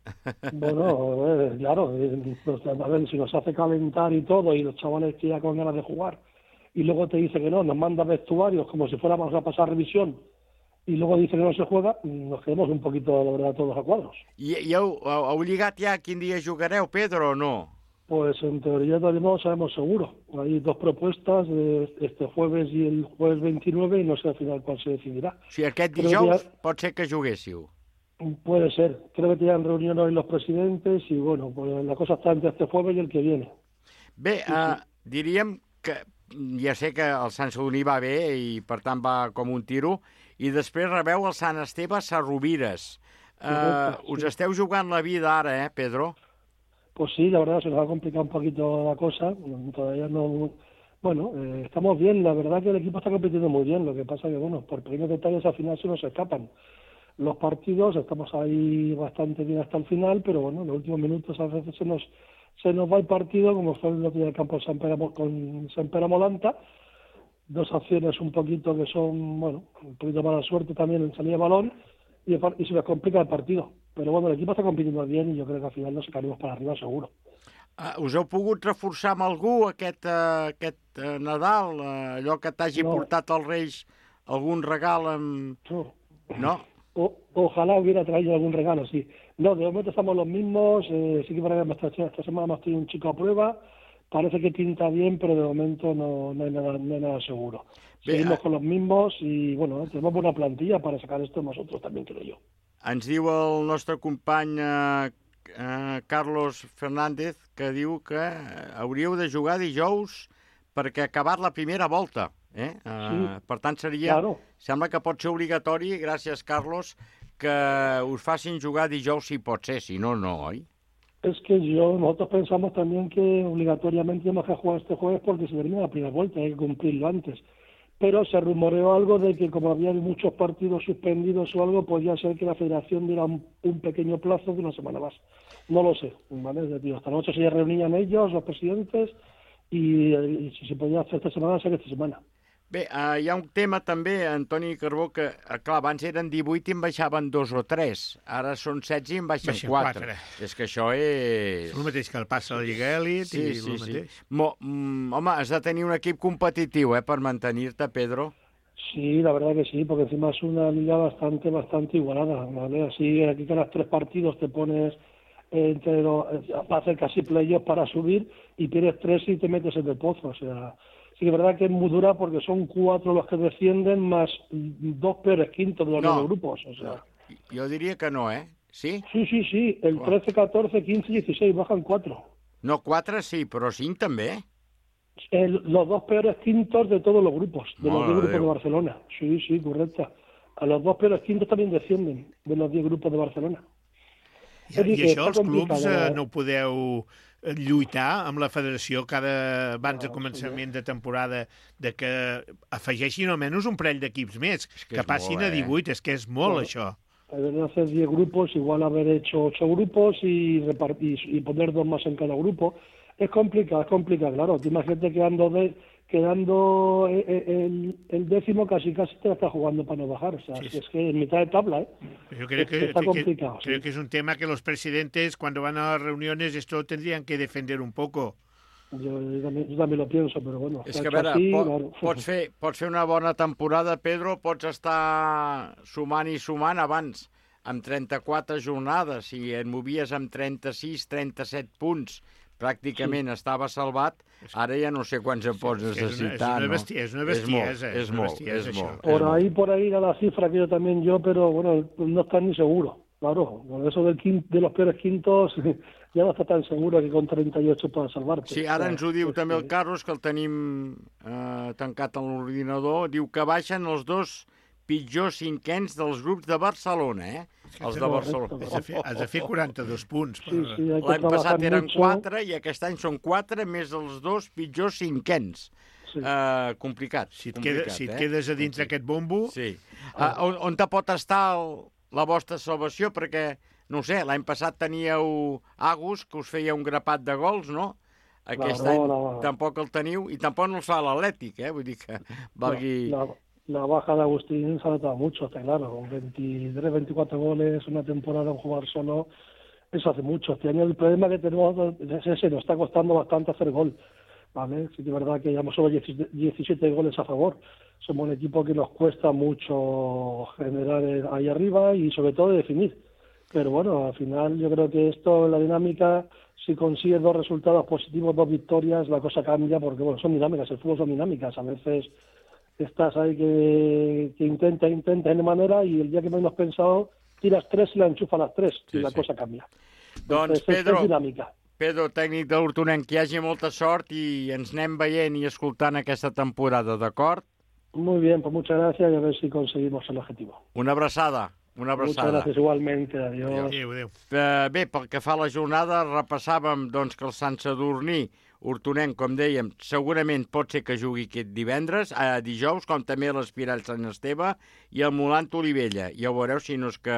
Bueno, eh, claro, eh, pues, a ver, si nos hace calentar y todo, y los chavales que ya con ganas de jugar, y luego te dice que no, nos manda vestuarios como si fuéramos a pasar revisión, y luego dice que no se juega, nos quedamos un poquito, la verdad, todos a cuadros. I, i heu, heu lligat ja quin dia jugareu, Pedro, o no? Pues en teoría todavía no lo sabemos seguro. Hay dos propuestas, de este jueves y el jueves veintinueve, y no sé al final cuál se decidirá. Si aquest dijous ya... pot ser que juguéssiu. Puede ser. Creo que tenían reunión hoy los presidentes y bueno, pues la cosa está entre este jueves y el que viene. Bé, sí, uh, sí. diríem que ja sé que el Sant Sadurní va bé i per tant va com un tiro, i després rebeu el Sant Esteve Sarrovires. Uh, sí. Us esteu jugant la vida ara, eh, Pedro? Pues sí, la verdad se nos ha complicado un poquito la cosa, todavía no... Bueno, eh, estamos bien, la verdad que el equipo está compitiendo muy bien, lo que pasa que, bueno, por pequeños detalles al final se nos escapan. los partidos, estamos ahí bastante bien hasta el final, pero bueno, en los últimos minutos a veces se nos se nos va el partido, como fue el otro día del campo de San Pere, con San Pere Molanta, dos acciones un poquito que son, bueno, un poquito mala suerte también en salida de balón, y, y se nos complica el partido. Pero bueno, el equipo está compitiendo bien i jo crec que al final nos sacaremos para arriba seguro. Uh, us heu pogut reforçar amb algú aquest, uh, aquest uh, Nadal? Uh, allò que t'hagi no. portat als Reis algun regal amb... No. ¿No? O, ojalá hubiera traído algún regalo, sí. No, de momento estamos los mismos, eh, sí que para esta, esta semana hemos tenido un chico a prueba, parece que pinta bien, pero de momento no, no, hay, nada, no hay nada seguro. Seguimos con los mismos y, bueno, tenemos buena plantilla para sacar esto nosotros también, creo yo. Ens diu el nostre company eh, eh, Carlos Fernández que diu que hauríeu de jugar dijous perquè ha acabat la primera volta. Eh? Sí, uh, per tant, seria... Claro. Sembla que pot ser obligatori, gràcies, Carlos, que us facin jugar dijous si pot ser, si no, no, oi? Es que yo, nosotros pensamos también que obligatoriamente tenemos que jugar este jueves porque se termina la primera vuelta, hay que cumplirlo antes. Pero se rumoreó algo de que como había muchos partidos suspendidos o algo, podía ser que la federación diera un, un pequeño plazo de una semana más. No lo sé, ¿vale? Decir, esta noche se reunían ellos, los presidentes, y, y si se podía hacer esta semana, sería esta semana. Bé, uh, hi ha un tema també, Antoni Carbó, que, uh, clar, abans eren divuit i en baixaven dos o tres. Ara són setze i en baixen, baixen quatre. És que això és... És el mateix que el passa a la Lliga Elit sí, i sí, el mateix. Sí. Mo, mm, home, has de tenir un equip competitiu, eh, per mantenir-te, Pedro. Sí, la verdad que sí, porque encima es una liga bastante, bastante igualada, ¿vale? Así, aquí que los tres partidos te pones entre los, para hacer casi playoffs para subir y pierdes tres y te metes en el pozo, o sea... Sí, es verdad que es muy dura porque son cuatro los que descienden más dos peores quintos de los no, grupos. O sea. Yo diría que no, ¿eh? ¿Sí? Sí, sí, sí. El trece, catorce, quince y dieciséis bajan cuatro. No, cuatro sí, pero cinc també. El, los dos peores quintos de todos los grupos, de los diez grupos de Barcelona. Sí, sí, correcto. A los dos peores quintos también descienden de los diez grupos de Barcelona. I, I això els clubs eh, no podeu lluitar amb la federació cada abans de començament de temporada de que afegeixin almenys un parell d'equips més, es que, que passin molt, a divuit, eh? És que és molt, bueno, això. Deben hacer diez grupos, igual haber hecho ocho grupos y, repartir, y poner dos más en cada grupo. Es complicado, es complicado, claro. Tú imagínate quedando, de, quedando el, el décimo, casi casi te la está jugando para no bajar. O sea, sí, sí. Es que en mitad de tabla, ¿eh? Yo creo que, está que, complicado. Que, creo que es un tema que los presidentes, cuando van a las reuniones, esto tendrían que defender un poco. Jo, jo, també, jo també lo pienso, però bueno... És que, a veure, aquí, pot, claro. pots, fer, pots fer una bona temporada, Pedro, pots estar sumant i sumant abans amb trenta-quatre jornades, si et movies amb trenta-sis, trenta-set punts, pràcticament sí. Estava salvat, ara ja no sé quants en pots necessitar. És una, és una, és una bestiesa. És molt, és, és, és molt. Por ahí, por ahí era la cifra que yo también yo, pero bueno, no está ni seguro. Claro, con eso del quint, de los peores quintos ja no està tan seguro que con trenta y ocho poden salvar-te. Sí, ara ens ho diu sí, també el Carlos, que el tenim eh, tancat a l'ordinador, diu que baixen els dos pitjors cinquens dels grups de Barcelona, eh? Els de Barcelona. Has de fer, has de fer quaranta-dos punts. Per... Sí, sí, l'any passat eren quatre i aquest any són quatre més els dos pitjors cinquens. Sí. Uh, complicat. Si et, complicat, queda, si et eh? quedes a dins d'aquest bombo... Sí. Uh, on, on te pot estar el, la vostra salvació? Perquè, no sé, l'any passat teníeu Agus, que us feia un grapat de gols, no? Aquest no, any no, no. Tampoc el teniu, i tampoc no el fa l'Atlètic, eh? Vull dir que valgui... No, no. La baja de Agustín se ha notado mucho, está claro, con veintitrés, veinticuatro goles, una temporada en jugar solo, eso hace mucho. Este año el problema que tenemos es ese, nos está costando bastante hacer gol, ¿vale? Sí que es verdad que llevamos solo diecisiete goles a favor. Somos un equipo que nos cuesta mucho generar ahí arriba y sobre todo definir. Pero bueno, al final yo creo que esto, la dinámica, si consigues dos resultados positivos, dos victorias, la cosa cambia porque bueno, son dinámicas, el fútbol son dinámicas, a veces... Estás ahí que, que intenta, intenta de manera y el día que menos pensado tiras tres y la enchufa a las tres sí, y la sí. cosa cambia. Doncs Pedro, Pedro, tècnic de l'Hortonenc, que hi hagi molta sort i ens anem veient i escoltant aquesta temporada, d'acord? Muy bien, pues muchas gracias y a ver si conseguimos el objetivo. Una abraçada. Una abraçada. Muchas gracias igualmente. Adiós. Adéu, adéu. Uh, bé, pel que fa a la jornada, repassàvem doncs, que el Sant Sadurní Hortonenc, com dèiem, segurament pot ser que jugui aquest divendres, a dijous, com també l'Espirall Sant Esteve i el Molant Olivella. Ja ho veureu si no és que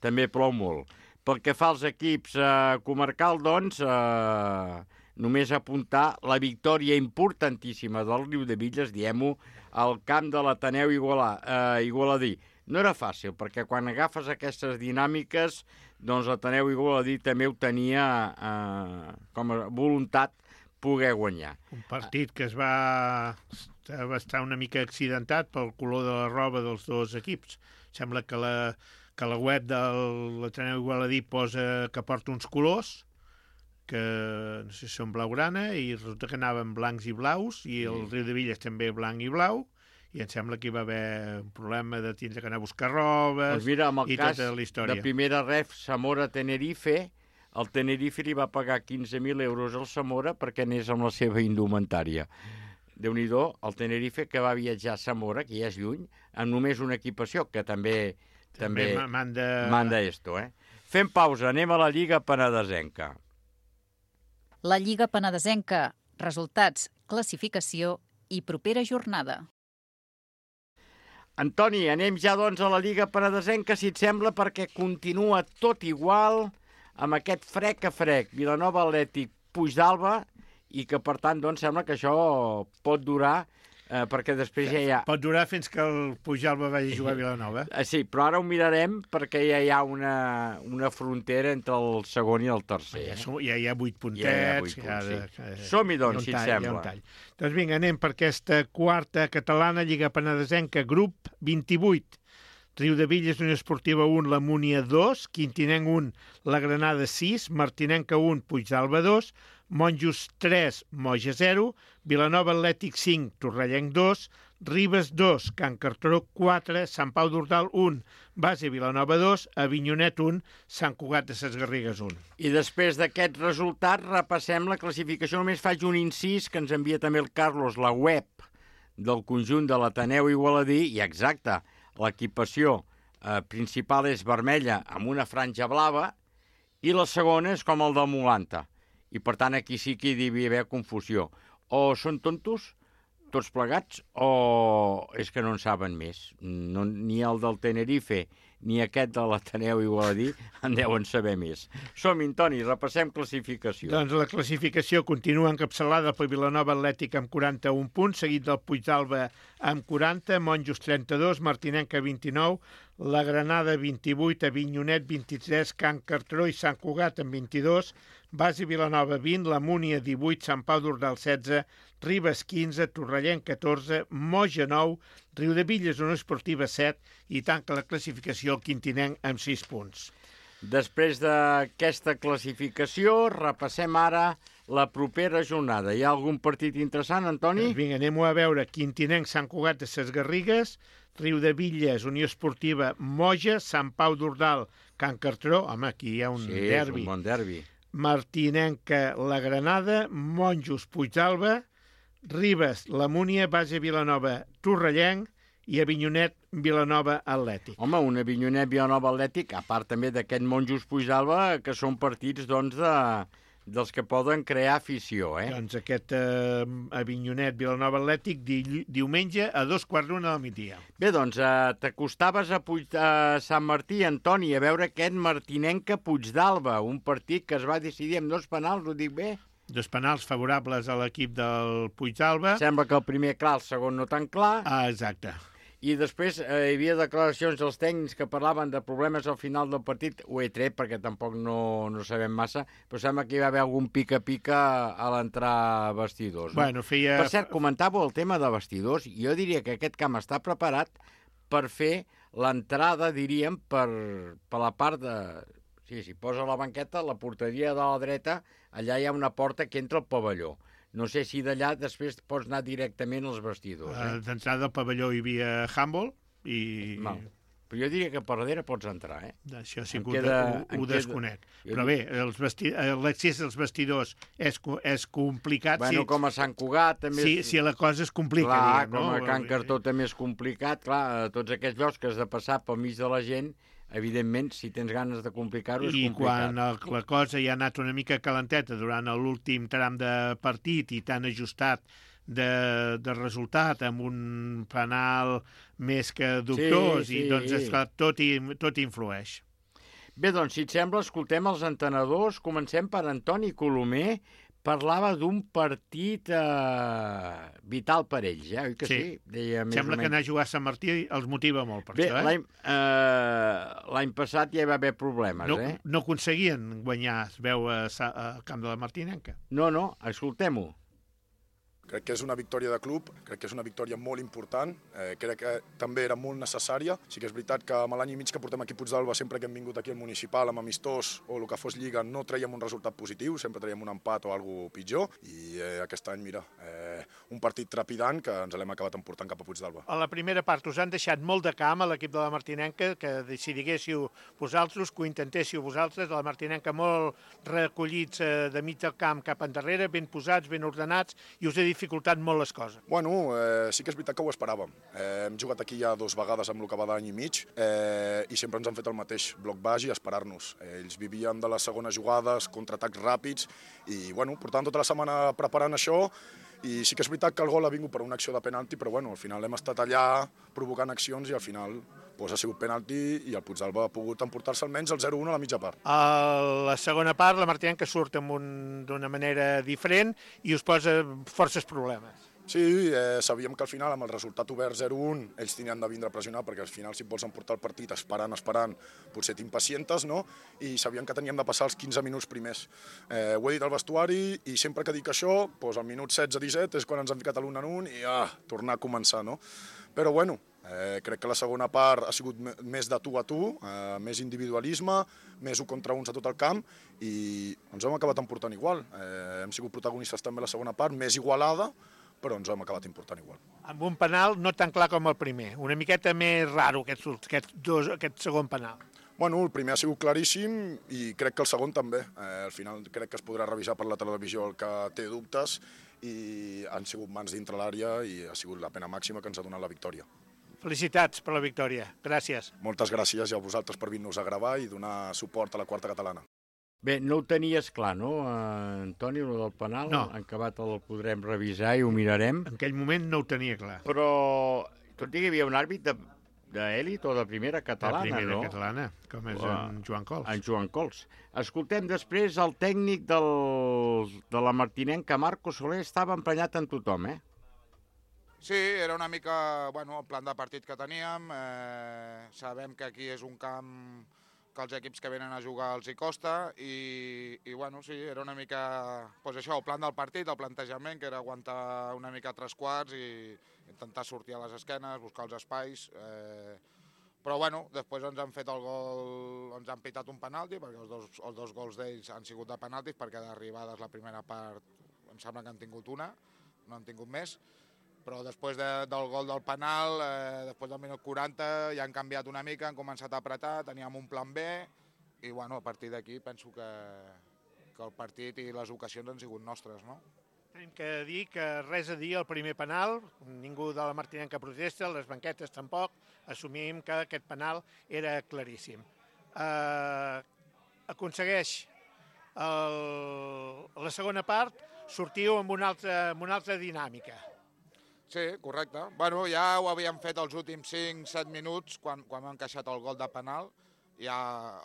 també plou molt. Pel que fa als equips eh, comarcal, doncs, eh, només apuntar la victòria importantíssima del Riudebitlles, diem-ho, al camp de l'Ateneu Igualà, eh, Igualadí. No era fàcil, perquè quan agafes aquestes dinàmiques, doncs l'Ateneu Igualadí també ho tenia eh, com a voluntat poder guanyar. Un partit que es va, va estar una mica accidentat pel color de la roba dels dos equips. Sembla que la, que la web de l'Ateneu Igualadí posa que porta uns colors, que no sé si són blaugrana, i resulta que anaven blancs i blaus, i el Riudebitlles també blanc i blau, i em sembla que hi va haver un problema de tindre que anar a buscar robes doncs mira, i tota la història. De primera ref, Zamora-Tenerife, el Tenerife li va pagar quinze mil euros al Zamora perquè anés amb la seva indumentària. Déu-n'hi-do, el Tenerife que va viatjar a Zamora, que ja és lluny, amb només una equipació, que també també, també manda... manda esto, eh? Fem pausa, anem a la Lliga Penedesenca. La Lliga Penedesenca, resultats, classificació i propera jornada. Antoni, anem ja doncs a la Lliga Penedesenca, si et sembla, perquè continua tot igual amb aquest frec a frec. Vilanova Atlètic, Puigdàlber, i que per tant doncs sembla que això pot durar, eh, perquè després ja hi ha... Pot durar fins que el Puigdàlber vagi a jugar a Vilanova. Eh, sí, però ara ho mirarem perquè ja hi ha una, una frontera entre el segon i el tercer. Ja, som, ja hi ha vuit puntets. Ja hi ha vuit punts, ja de, sí. eh, Som-hi, doncs, si et sembla. Doncs vinga, anem per aquesta quarta catalana, Lliga Penedesenca, grup vint-i-vuit. Riudebitlles, Unió Esportiva un, la Múnia dos, Quintinenc un, la Granada sis, Martinenca un, Puigdàlber dos, Monjos tres, Moja zero, Vilanova Atlètic cinc, Torrellenc dos, Ribes dos, Can Cartró quatre, Sant Pau d'Ordal un, Base Vilanova dos, Avinyonet un, Sant Cugat de ses Garrigues un. I després d'aquest resultat repassem la classificació. Només faig un incís que ens envia també el Carlos, la web del conjunt de l'Ateneu Igualadí, i exacte, l'equipació eh, principal és vermella amb una franja blava i la segona és com el del Molanta. I, per tant, aquí sí que hi devia haver confusió. O són tontos, tots plegats, o és que no en saben més. No, ni el del Tenerife ni aquest de l'Ateneu Igualadí en deuen saber més. Som-hi, Toni, repassem classificació. Doncs la classificació continua encapçalada per Vilanova Atlètic amb quaranta-un punts, seguit del Puigdàlber amb quaranta, Monjos trenta-dos, Martinenca vint-i-nou, la Granada vint-i-vuit, Avinyonet vint-i-tres, Can Cartró i Sant Cugat amb vint-i-dos, Base Vilanova vint, la Múnia divuit, Sant Pau d'Ordal setze, Ribes quinze, Torrellenc catorze, Moja nou, Riudebitlles Unió Esportiva set i tanca la classificació el Quintinenc amb sis punts. Després d'aquesta classificació, repassem ara la propera jornada. Hi ha algun partit interessant, Antoni? Doncs vinga, anem-ho a veure. Quintinenc, Sant Cugat de ses Garrigues, Riudebitlles, Unió Esportiva, Moja, Sant Pau d'Ordal, Can Cartró. Home, aquí hi ha un sí, derbi. Sí, un bon derbi. Martinenca, la Granada, Monjos, Puigdàlber, Ribes, la Múnia, Base Vilanova, Torrellenc i Avinyonet, Vilanova Atlètic. Home, un Avinyonet, Vilanova Atlètic, a part també d'aquest Monjos, Puigdàlber, que són partits, doncs, de, dels que poden crear afició, eh? Doncs aquest eh, Avinyonet, Vilanova Atlètic, di, diumenge a dos quarts d'una del migdia. Bé, doncs, eh, t'acostaves a, Puig, a Sant Martí, Antoni, a veure aquest Martinenca Puigdàlber, un partit que es va decidir amb dos penals, ho dic bé? Dos penals favorables a l'equip del Puigdàlber. Sembla que el primer clar, el segon no tan clar. Ah, exacte. I després eh, hi havia declaracions dels tècnics que parlaven de problemes al final del partit. Ho he tret perquè tampoc no, no sabem massa, però sembla que hi va haver algun pica-pica a l'entrar vestidors. No? Bueno, feia... Per cert, comentàveu el tema de vestidors. Jo diria que aquest camp està preparat per fer l'entrada, diríem, per, per la part de... Sí, si posa la banqueta, la porteria de la dreta, allà hi ha una porta que entra al pavelló. No sé si d'allà després pots anar directament als vestidors. Eh? D'entrada al pavelló hi havia handball i... Mal. Però jo diria que per darrere pots entrar, eh? Això sí que queda, ho, ho desconec. Queda... Però bé, els vesti... l'accés als vestidors és, és complicat. Bueno, sí. Com a Sant Cugat també... Sí, si la cosa es complica. Clar, diguem, com no? a Can Cartró també és complicat. Clar, tots aquests llocs que has de passar pel mig de la gent, evidentment, si tens ganes de complicar-ho, és I complicat. quan el, la cosa ja ha anat una mica calenteta durant l'últim tram de partit i t'han ajustat de, de resultat amb un penal més que dubtós, Sí, sí. i doncs, esclar, tot, hi, tot hi influeix. Bé, doncs, si et sembla, escoltem els entenedors. Comencem per Antoni Colomer. Parlava d'un partit eh, vital per ells, eh? Oi que sí? Sí. Deia més Sembla o que menys. anar a jugar a Sant Martí els motiva molt per Bé, això, eh? l'any eh, l'any passat ja hi va haver problemes, No, eh? no aconseguien guanyar, es veu, a, Sa- a Camp de la Martinenca. No, no, escoltem-ho. Crec que és una victòria de club, crec que és una victòria molt important, eh, crec que també era molt necessària. Sí que és veritat que amb l'any i mig que portem aquí a Puigdàlber, sempre que hem vingut aquí al municipal, amb amistós o el que fos lliga, no traiem un resultat positiu, sempre traiem un empat o alguna pitjor, i eh, aquest any, mira, eh, un partit trepidant que ens l'hem acabat emportant cap a Puigdàlber. A la primera part us han deixat molt de camp a l'equip de la Martinenca, que si diguéssiu vosaltres, que ho intentéssiu vosaltres, a la Martinenca molt recollits eh, de mig del camp cap endarrere, ben posats, ben ordenats, i us he dificultat molt les coses. Bueno, eh, sí que és veritat que ho esperàvem. Eh, hem jugat aquí ja dues vegades amb el que va d'any i mig eh, i sempre ens han fet el mateix, bloc baix i esperar-nos. Eh, ells vivien de les segones jugades, contraatacs ràpids i bueno, portàvem tota la setmana preparant això i sí que és veritat que el gol ha vingut per una acció de penalti, però bueno, al final hem estat allà provocant accions i al final pues, ha sigut penalti i el Puigdàlber ha pogut emportar-se almenys el zero a un a la mitja part. A la segona part, la Martinenca surt d'una manera diferent i us posa forces problemes. Sí, eh, sabíem que al final, amb el resultat obert zero a un, ells tenien de vindre a pressionar, perquè al final, si et vols emportar el partit esperant, esperant, potser t'impacientes, no? I sabíem que teníem de passar els quinze minuts primers. Eh, ho he dit al vestuari, i sempre que dic això, doncs al minut setze disset és quan ens han ficat l'un en un i ah, tornar a començar, no? Però bueno, eh, crec que la segona part ha sigut més de tu a tu, eh, més individualisme, més un contra uns a tot el camp, i ens hem acabat emportant igual. Eh, hem sigut protagonistes també a la segona part, més igualada, però ens hem acabat important igual. Amb un penal no tan clar com el primer, una miqueta més raro aquest, aquest, dos, aquest segon penal. Bueno, el primer ha sigut claríssim i crec que el segon també. Eh, al final crec que es podrà revisar per la televisió el que té dubtes i han sigut mans dintre l'àrea i ha sigut la pena màxima que ens ha donat la victòria. Felicitats per la victòria. Gràcies. Moltes gràcies i a vosaltres per vir-nos a gravar i donar suport a la quarta catalana. Bé, no ho tenies clar, no, eh, Antoni, el del penal? No. En acabat el podrem revisar i ho mirarem. En aquell moment no ho tenia clar. Però, tot i que hi havia un àrbit d'èlit o de primera catalana, de primera no? catalana, com és en Joan Cols. En Joan Cols. Escoltem després el tècnic del, de la Martinenca, Marco Soler, estava emprenyat en tothom, eh? Sí, era una mica, bueno, el plan de partit que teníem. Eh, sabem que aquí és un camp que els equips que venen a jugar els hi costa i, i bueno, sí, era una mica, doncs això, el plan del partit, el plantejament, que era aguantar una mica tres quarts i intentar sortir a les esquenes, buscar els espais, eh, però bueno, després ens han fet el gol, ens han pitat un penalti, perquè els dos, els dos gols d'ells han sigut de penaltis, perquè d'arribades la primera part em sembla que han tingut una, no han tingut més, però després de, del gol del penal, eh, després del minut quaranta, ja han canviat una mica, han començat a apretar, teníem un plan B, i bueno, a partir d'aquí penso que, que el partit i les ocasions han sigut nostres, no? Tenim que dir que res a dir al primer penal, ningú de la Martinenca protesta, les banquetes tampoc, assumim que aquest penal era claríssim. Eh, aconsegueix el, la segona part, sortiu amb una altra, amb una altra dinàmica. Sí, correcte. Bueno, ja ho havíem fet els últims cinc set minuts quan, quan hem encaixat el gol de penal. Ja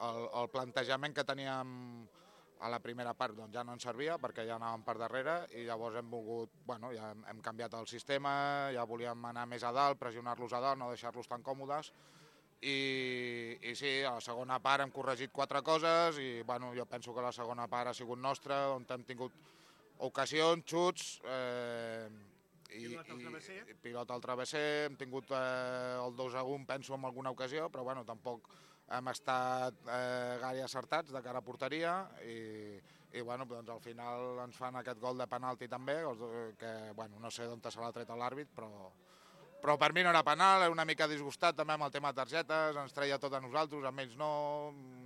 el, el plantejament que teníem a la primera part doncs, ja no ens servia perquè ja anàvem per darrere i llavors hem volgut, bueno, ja hem, hem canviat el sistema, ja volíem anar més a dalt, pressionar-los a dalt, no deixar-los tan còmodes. I, i sí, a la segona part hem corregit quatre coses i bueno, jo penso que la segona part ha sigut nostra, on hem tingut ocasions, xuts, eh, i, i pilota al travesser, hem tingut eh, el dos a un, penso, en alguna ocasió, però bueno, tampoc hem estat eh, gaire acertats de cara a porteria i, i bueno, doncs al final ens fan aquest gol de penalti també, que bueno, no sé d'on se l'ha tret l'àrbit, però, però per mi no era penal, era una mica disgustat també amb el tema de targetes, ens treia tot a nosaltres, amb ells no,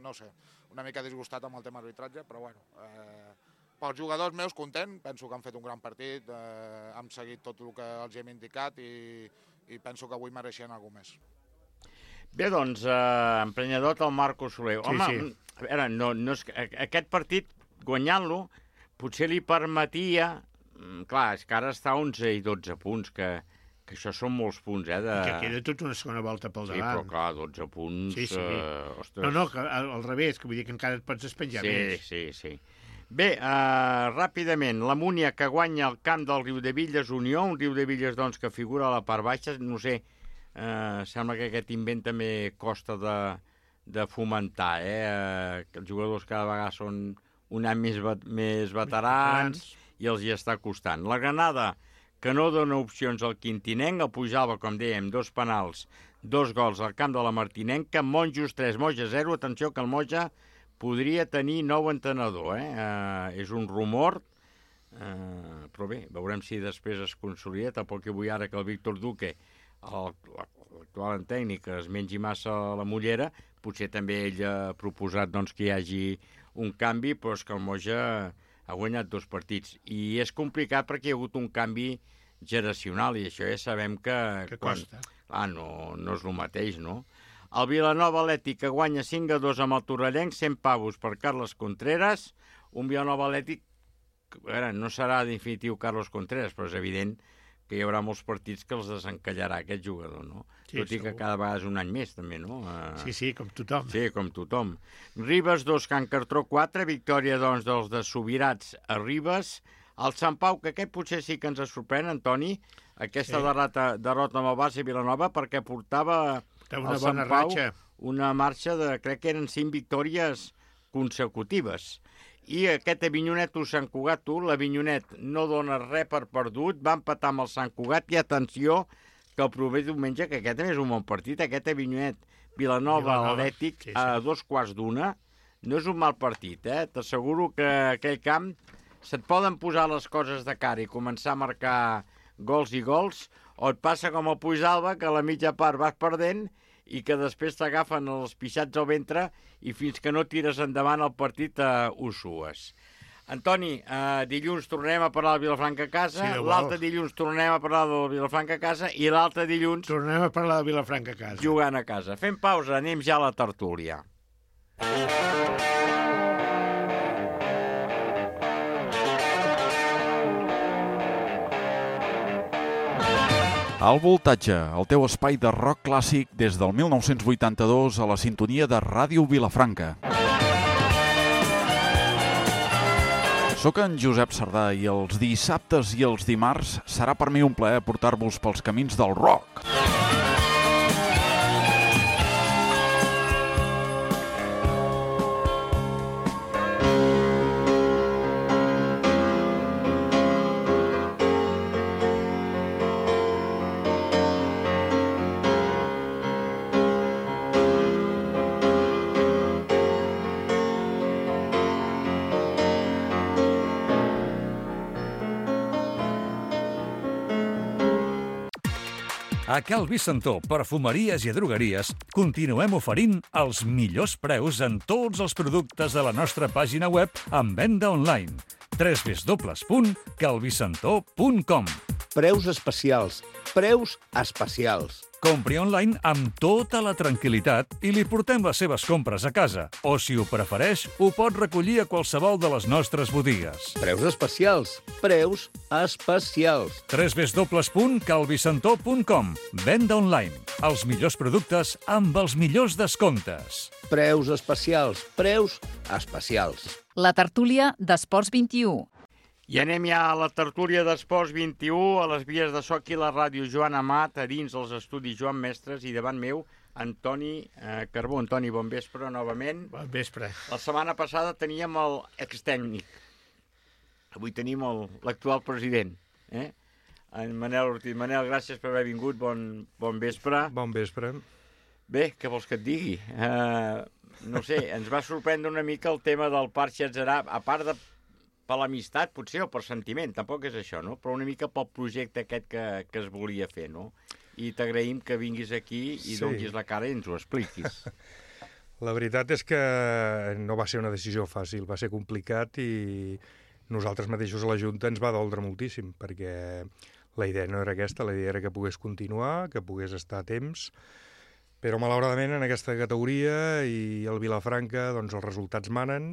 no sé, una mica disgustat amb el tema arbitratge, però bueno... Eh, pels jugadors meus, content, penso que han fet un gran partit, eh, han seguit tot el que els hem indicat i, i penso que avui mereixien alguna més. Bé, doncs, eh, emprenyador el Marco Soler. Sí, Home, sí. a veure, no, no és, aquest partit, guanyant-lo, potser li permetia... Clar, és que ara està a onze i dotze punts, que, que això són molts punts, eh? De... I que queda tota una segona volta pel Sí, davant. però clar, dotze punts... Sí, sí. Eh, ostres. No, no, que, al, al revés, que vull dir que encara et pots despenjar Sí, més. sí, sí. Bé, uh, ràpidament, la Múnia que guanya el camp del Riudebitlles Unió, un Riudebitlles doncs, que figura a la part baixa, no sé, uh, sembla que aquest invent també costa de, de fomentar, eh? Uh, que els jugadors cada vegada són un any més, vet més veterans i els hi està costant. La Granada, que no dona opcions al Quintinenc, el Pujava, com dèiem, dos penals, dos gols al camp de la Martinenca, Monjos tres, Moja zero, atenció que el Moja podria tenir nou entrenador, eh? Uh, és un rumor, uh, però bé, veurem si després es consolida. Tampoc que vull ara que el Víctor Duque, l'actual tècnic, es mengi massa la mullera, potser també ell ha proposat doncs, que hi hagi un canvi, però és que el Moja ha guanyat dos partits. I és complicat perquè hi ha hagut un canvi generacional, i això ja sabem que... Que quan... costa. Ah, no, no és el mateix, no? El Vilanova Atlètic, que guanya cinc a dos amb el Torrellenc, cent pavos per Carles Contreras. Un Vilanova Atlètic, a veure, no serà definitiu Carlos Contreras, però és evident que hi haurà molts partits que els desencallarà aquest jugador, no? Sí, Tot i que segur. cada vegada és un any més, també, no? Uh... Sí, sí, com tothom. Sí, com tothom. Ribes dos, Can Cartró quatre, victòria, doncs, dels de Subirats a Ribes. El Sant Pau, que aquest potser sí que ens sorprèn, Antoni, aquesta Sí. derrota, derrota amb el Barça i Vilanova, perquè portava... Una el bona Sant Pau, ratxa. una marxa de, crec que eren cinc victòries consecutives. I aquest Avinyonet o Sant Cugat, tu, l'Avinyonet no dona res per perdut, va empatar amb el Sant Cugat, i atenció, que el proper diumenge, que aquest també és un bon partit, aquest Avinyonet Vilanova, Vilanova, Atlètic, sí, sí. a dos quarts d'una, no és un mal partit, eh? T'asseguro que aquell camp se't poden posar les coses de cara i començar a marcar gols i gols, o et passa com el Puigdàlber, que a la mitja part vas perdent i que després t'agafen els pixats al ventre i fins que no tires endavant el partit eh, ho sues. Antoni, eh, dilluns tornem a parlar del Vilafranca a casa, Sí, Déu l'altre vol. dilluns tornem a parlar del Vilafranca a casa i l'altre dilluns Tornem a parlar de Vilafranca a casa. jugant a casa. Fem pausa, anem ja a la tertúlia. Al Voltatge, el teu espai de rock clàssic des del mil nou-cents vuitanta-dos a la sintonia de Ràdio Vilafranca. Soc en Josep Sardà i els dissabtes i els dimarts serà per mi un plaer portar-vos pels camins del rock. A Cal Vicentó, perfumeries i drogueries, continuem oferint els millors preus en tots els productes de la nostra pàgina web en venda online. w w w punt calvicentó punt com. Preus especials. Preus especials. Compri online amb tota la tranquil·litat i li portem les seves compres a casa. O, si ho prefereix, ho pot recollir a qualsevol de les nostres botigues. Preus especials. Preus especials. w w w punt calvicentó punt com. Venda online. Els millors productes amb els millors descomptes. Preus especials. Preus especials. La tertúlia d'Esports vint-i-u. I anem ja a la tertúlia d'Esports vint-i-u, a les vies de so aquí a la ràdio Joan Amat, a dins els estudis Joan Mestres, i davant meu, Antoni eh, Carbó. Antoni, bon vespre, novament. Bon vespre. La setmana passada teníem el extècnic. Avui tenim l'actual president, eh? En Manel Ortiz. Manel, gràcies per haver vingut, bon, bon vespre. Bon vespre. Bé, què vols que et digui? Uh, no sé, ens va sorprendre una mica el tema del Parc Xatzerà, a part de per l'amistat, potser, o per sentiment, tampoc és això, no? Però una mica pel projecte aquest que, que es volia fer, no? I t'agraïm que vinguis aquí i Sí. donis la cara i ens ho expliquis. La veritat és que no va ser una decisió fàcil, va ser complicat i nosaltres mateixos a la Junta ens va doldre moltíssim, perquè la idea no era aquesta, la idea era que pogués continuar, que pogués estar a temps, Però, malauradament, en aquesta categoria i el Vilafranca, doncs els resultats manen,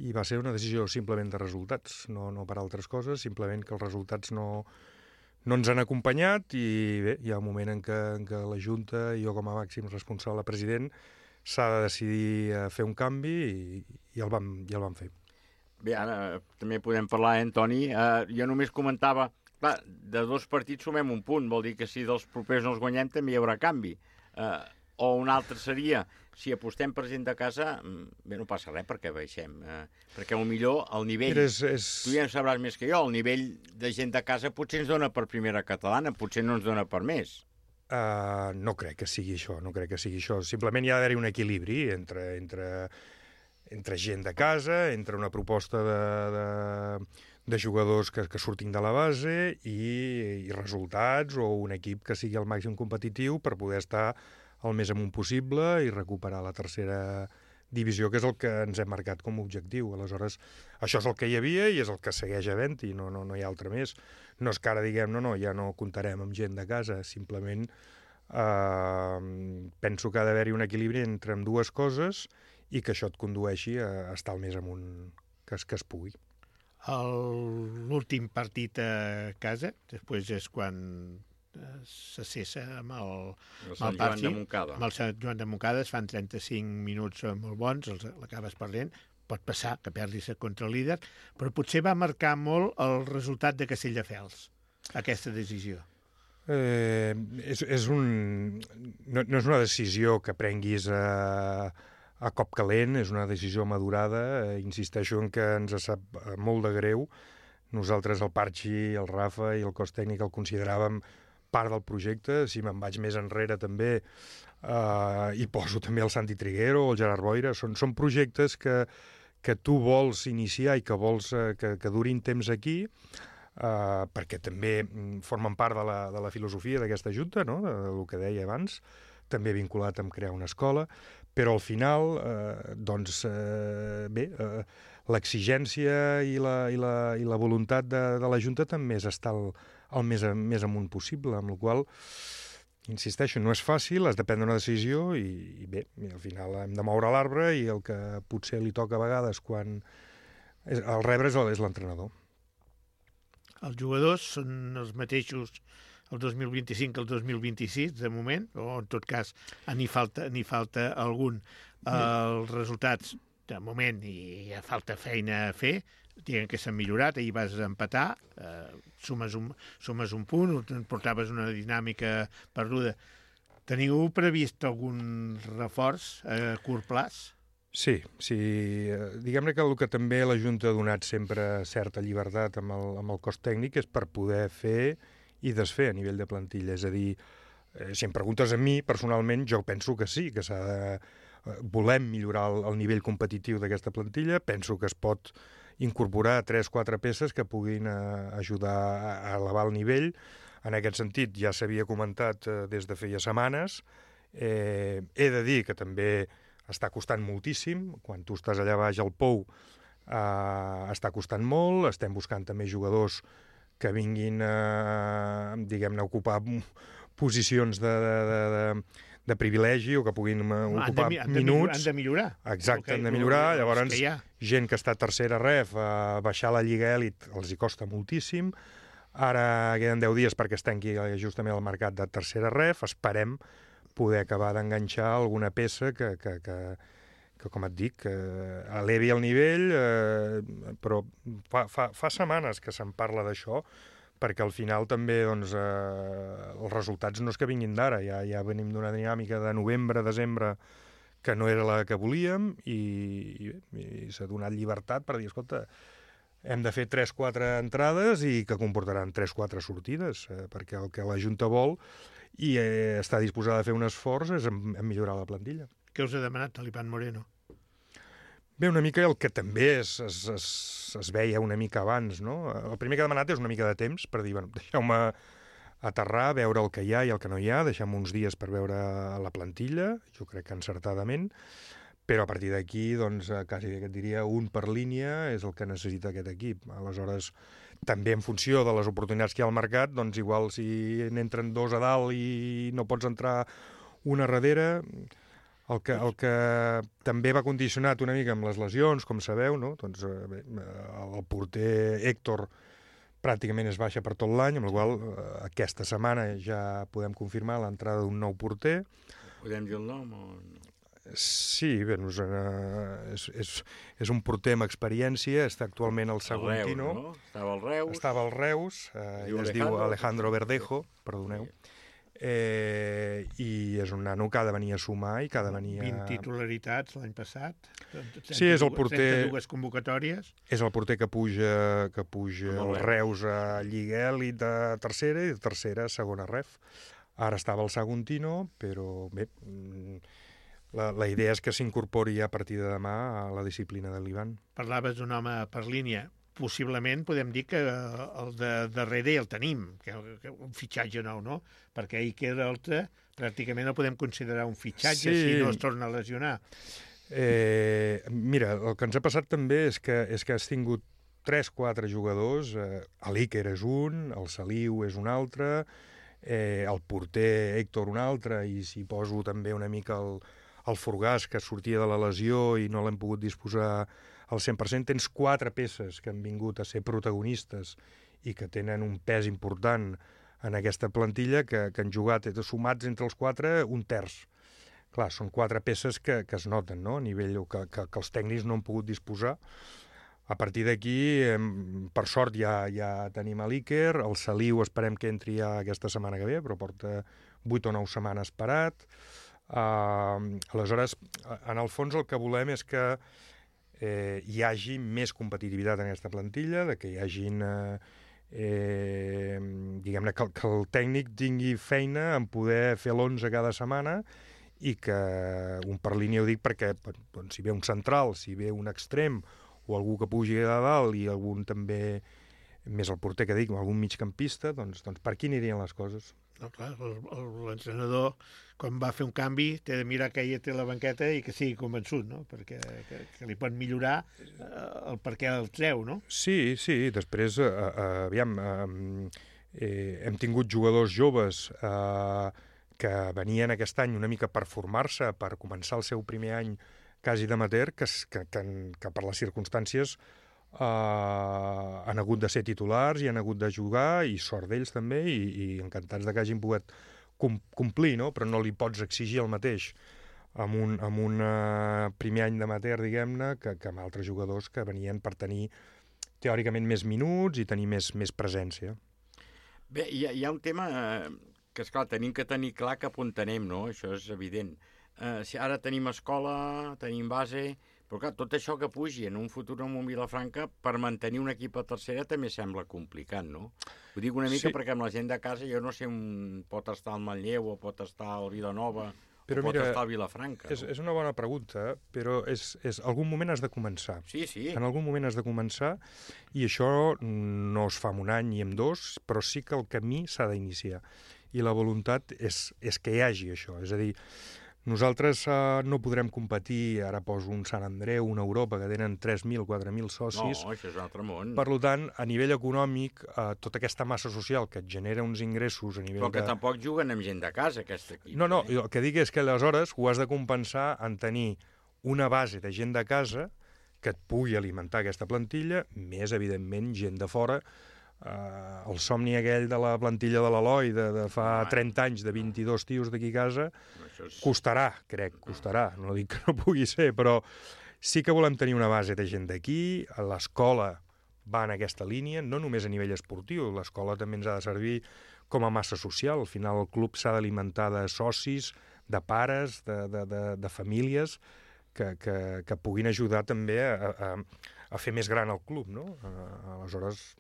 i va ser una decisió simplement de resultats, no, no per altres coses, simplement que els resultats no, no ens han acompanyat i bé, hi ha un moment en què, en què la Junta, jo com a màxim responsable president, s'ha de decidir a fer un canvi i, i, el vam, i el vam fer. Bé, ara també podem parlar, eh, Antoni? Uh, jo només comentava, clar, de dos partits sumem un punt, vol dir que si dels propers no els guanyem també hi haurà canvi. Uh, o un altre seria, si apostem per gent de casa, bé, no passa res perquè baixem, eh, perquè millor el nivell, és, és... tu ja en sabràs més que jo, el nivell de gent de casa potser ens dona per primera catalana, potser no ens dona per més. Uh, no crec que sigui això, no crec que sigui això. Simplement hi ha d'haver un equilibri entre, entre, entre gent de casa, entre una proposta de, de, de jugadors que, que surtin de la base i, i resultats o un equip que sigui al màxim competitiu per poder estar el més amunt possible i recuperar la tercera divisió, que és el que ens hem marcat com a objectiu. Aleshores, això és el que hi havia i és el que segueix havent-hi, no, no, no hi ha altre més. No és que ara diguem, no, no, ja no comptarem amb gent de casa, simplement eh, penso que ha d'haver-hi un equilibri entre ambdues coses i que això et condueixi a estar el més amunt que es, que es pugui. L'últim partit a casa, després és quan se cessa amb el, el Sant Joan de Montcada. Amb el Sant Joan de Montcada es fan trenta-cinc minuts molt bons, l'acabes perdent, pot passar que perdis contra el líder, però potser va marcar molt el resultat de Castelldefels, aquesta decisió. Eh, és, és un, no, no és una decisió que prenguis a, a cop calent, és una decisió madurada, eh, insisteixo en que ens sap molt de greu. Nosaltres, el Parchi, el Rafa i el cos tècnic el consideràvem part del projecte. Si me'n vaig més enrere també eh, hi poso també el Santi Triguero o el Gerard Boira, són, són projectes que, que tu vols iniciar i que vols eh, que, que durin temps aquí, eh, perquè també formen part de la, de la filosofia d'aquesta junta, no? de, del que deia abans, també vinculat amb crear una escola, però al final, eh, doncs, eh, bé, eh, l'exigència i la, i la, i la voluntat de, de la junta també és estar el, el més, més amunt possible, amb la qual cosa, insisteixo, no és fàcil, has de prendre una decisió i, i bé, i al final hem de moure l'arbre i el que potser li toca a vegades quan és, el rebre és l'entrenador. Els jugadors són els mateixos el dos mil vint-i-cinc que el dos mil vint-i-sis, de moment, o en tot cas n'hi falta, n'hi falta algun. Els resultats, de moment, hi ha falta feina a fer, diguem que s'han millorat, ahir vas empatar, eh, sumes, un, sumes un punt, portaves una dinàmica perduda. Teniu previst algun reforç a curt plaç? Sí, sí. Diguem-ne que el que també la Junta ha donat sempre certa llibertat amb el, amb el cos tècnic és per poder fer i desfer a nivell de plantilla. És a dir, eh, si em preguntes a mi, personalment, jo penso que sí, que s'ha de... volem millorar el, el nivell competitiu d'aquesta plantilla, penso que es pot incorporar tres o quatre peces que puguin eh, ajudar a elevar el nivell. En aquest sentit, ja s'havia comentat eh, des de feia setmanes. Eh, he de dir que també està costant moltíssim. Quan tu estàs allà baix al Pou, eh, està costant molt. Estem buscant també jugadors que vinguin a, diguem-ne, a ocupar posicions de, de, de, de, de privilegi o que puguin ocupar han de, minuts. Han de millorar. Exacte, okay, han de millorar. Llavors, que gent que està a tercera ref, a baixar la Lliga Elit, els hi costa moltíssim. Ara queden deu dies perquè es tanqui justament el mercat de tercera ref. Esperem poder acabar d'enganxar alguna peça que, que, que, que com et dic, eh, elevi el nivell, eh, però fa, fa, fa setmanes que se'n parla d'això, perquè al final també doncs, eh, els resultats no és que vinguin d'ara, ja, ja venim d'una dinàmica de novembre, desembre, que no era la que volíem, i, i, i s'ha donat llibertat per dir, escolta, hem de fer tres o quatre entrades i que comportaran tres o quatre sortides, eh, perquè el que la Junta vol i eh, està disposada a fer un esforç és en, en millorar la plantilla. Què us ha demanat l'Ivan Moreno? Bé, una mica el que també es, es, es, es veia una mica abans, no? El primer que ha demanat és una mica de temps per dir, bueno, deixeu-me aterrar, veure el que hi ha i el que no hi ha, deixem uns dies per veure la plantilla, jo crec que encertadament, però a partir d'aquí, doncs, quasi que et diria un per línia és el que necessita aquest equip. Aleshores, també en funció de les oportunitats que hi ha al mercat, doncs igual si n'entren dos a dalt i no pots entrar una darrere. El que, el que també va condicionat una mica amb les lesions, com sabeu, no? Doncs, eh, el porter Héctor pràcticament es baixa per tot l'any, amb la qual eh, aquesta setmana ja podem confirmar l'entrada d'un nou porter. Podem dir el nom o no? Sí, bé, doncs, eh, és, és, és un porter amb experiència, està actualment al Saguntino. Reus, no? Estava al Reus. Estava al Reus, eh, es diu Alejandro Verdejo, perdoneu. Eh, i és un nano que ha de venir a sumar i que ha de venir a... vint titularitats l'any passat. Sí, és el porter... trenta-dues convocatòries. És el porter que puja, que puja el Reus a Lliga Elit de tercera i de tercera a segona ref. Ara estava al Saguntino, però bé, la, la idea és que s'incorpori a partir de demà a la disciplina de l'Ivan. Parlaves d'un home per línia. Possiblement podem dir que el de darrere el tenim, que, que un fitxatge nou, no? Perquè Iker Oltra pràcticament el podem considerar un fitxatge sí. si no es torna a lesionar. Eh, mira, el que ens ha passat també és que, és que has tingut tres quatre jugadors, eh, l'Iker és un, el Saliu és un altre, eh, el porter Héctor un altre, i si poso també una mica el, el Forgàs, que sortia de la lesió i no l'hem pogut disposar al cent per cent, tens quatre peces que han vingut a ser protagonistes i que tenen un pes important en aquesta plantilla, que, que han jugat sumats entre els quatre un terç. Clar, són quatre peces que, que es noten, no?, a nivell que, que, que els tècnics no han pogut disposar. A partir d'aquí, per sort, ja, ja tenim a l'Iker, el Saliu esperem que entri ja aquesta setmana que ve, però porta vuit o nou setmanes parat. Uh, aleshores, en el fons el que volem és que Eh, hi hagi més competitivitat en aquesta plantilla, de que hi hagin eh, eh, diguem-ne que, que el tècnic tingui feina en poder fer l'onze cada setmana, i que un per línia ho dic perquè doncs, si ve un central, si ve un extrem o algú que pugi a dalt i algun també, més el porter que dic, algun migcampista, doncs, doncs per aquí anirien les coses. No, clar, l'entrenador, quan va fer un canvi, té de mirar que ella té la banqueta i que sigui convençut, no? Perquè que, que li pot millorar eh, el per què el treu, no? Sí, sí, després, eh, eh, aviam, eh, eh, hem tingut jugadors joves eh, que venien aquest any una mica per formar-se, per començar el seu primer any quasi d'amateur, que, que, que, que per les circumstàncies Uh, han hagut de ser titulars i han hagut de jugar, i sort d'ells també, i, i encantats de que hagin pogut com, complir, no? Però no li pots exigir el mateix amb un, amb un uh, primer any d'amateur, diguem-ne, que, que amb altres jugadors que venien per tenir teòricament més minuts i tenir més, més presència. Bé, hi ha, hi ha un tema eh, que, esclar, tenim que tenir clar cap on anem, no? Això és evident. Eh, si ara tenim escola, tenim base... Però clar, tot això que pugi en un futur en un Vilafranca, per mantenir un equip a tercera també sembla complicat, no? Ho dic una mica sí. Perquè amb la gent de casa jo no sé on pot estar el Manlleu o pot estar el Vilanova però o pot mira, estar el Vilafranca. És, no? és una bona pregunta, però és, és algun moment has de començar. Sí, sí. En algun moment has de començar, i això no es fa en un any ni en dos, però sí que el camí s'ha d'iniciar. I la voluntat és, és que hi hagi això, és a dir, nosaltres uh, no podrem competir, ara poso un Sant Andreu, una Europa, que tenen tres mil, quatre mil socis. No, això és un altre món. Per tant, a nivell econòmic, uh, tota aquesta massa social que et genera uns ingressos a nivell Però que de... tampoc juguen amb gent de casa, aquest equip. No, no, eh? el que dic és que aleshores ho has de compensar en tenir una base de gent de casa que et pugui alimentar aquesta plantilla, més, evidentment, gent de fora. Uh, el somni aquell de la plantilla de l'Eloi de, de fa ah, trenta anys, de vint-i-dos tios d'aquí a casa, és... costarà, crec, costarà. No dic que no pugui ser, però sí que volem tenir una base de gent d'aquí. L'escola va en aquesta línia, no només a nivell esportiu, l'escola també ens ha de servir com a massa social. Al final el club s'ha d'alimentar de socis, de pares, de, de, de, de famílies que, que, que puguin ajudar també a, a, a fer més gran el club, no? Aleshores,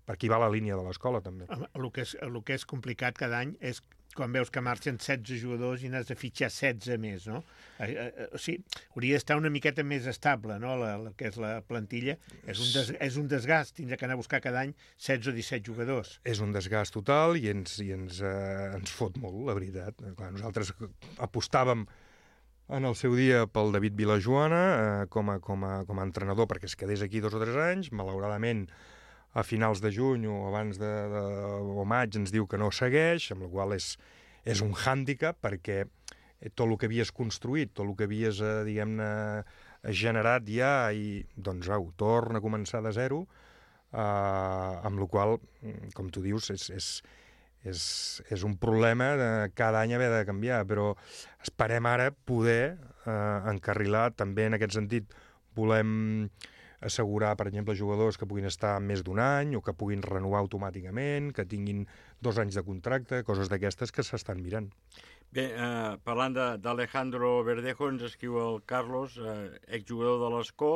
per aquí va la línia de l'escola, també. El que, és, el que és complicat cada any és quan veus que marxen setze jugadors i n'has de fitxar setze més, no? Eh, eh, o sigui, hauria d'estar una miqueta més estable, no?, la, la que és la plantilla. És un, des, és un desgast, tindre que anar a buscar cada any setze o disset jugadors. És un desgast total i ens, i ens, eh, ens fot molt, la veritat. Clar, nosaltres apostàvem en el seu dia pel David Vilajoana eh, com, a, com, a, com a entrenador perquè es quedés aquí dos o tres anys. Malauradament, a finals de juny o abans de, de o maig ens diu que no segueix, amb la qual és, és un hàndicap perquè tot el que havies construït, tot el que havies, eh, diguem-ne, generat ja, i doncs au, torna a començar de zero, eh, amb la qual, com tu dius, és, és, és, és un problema de cada any haver de canviar, però esperem ara poder eh, encarrilar, també en aquest sentit volem assegurar, per exemple, jugadors que puguin estar més d'un any o que puguin renovar automàticament, que tinguin dos anys de contracte, coses d'aquestes que s'estan mirant. Bé, eh, parlant d'Alejandro Verdejo, ens escriu el Carlos, eh, exjugador de l'Escó,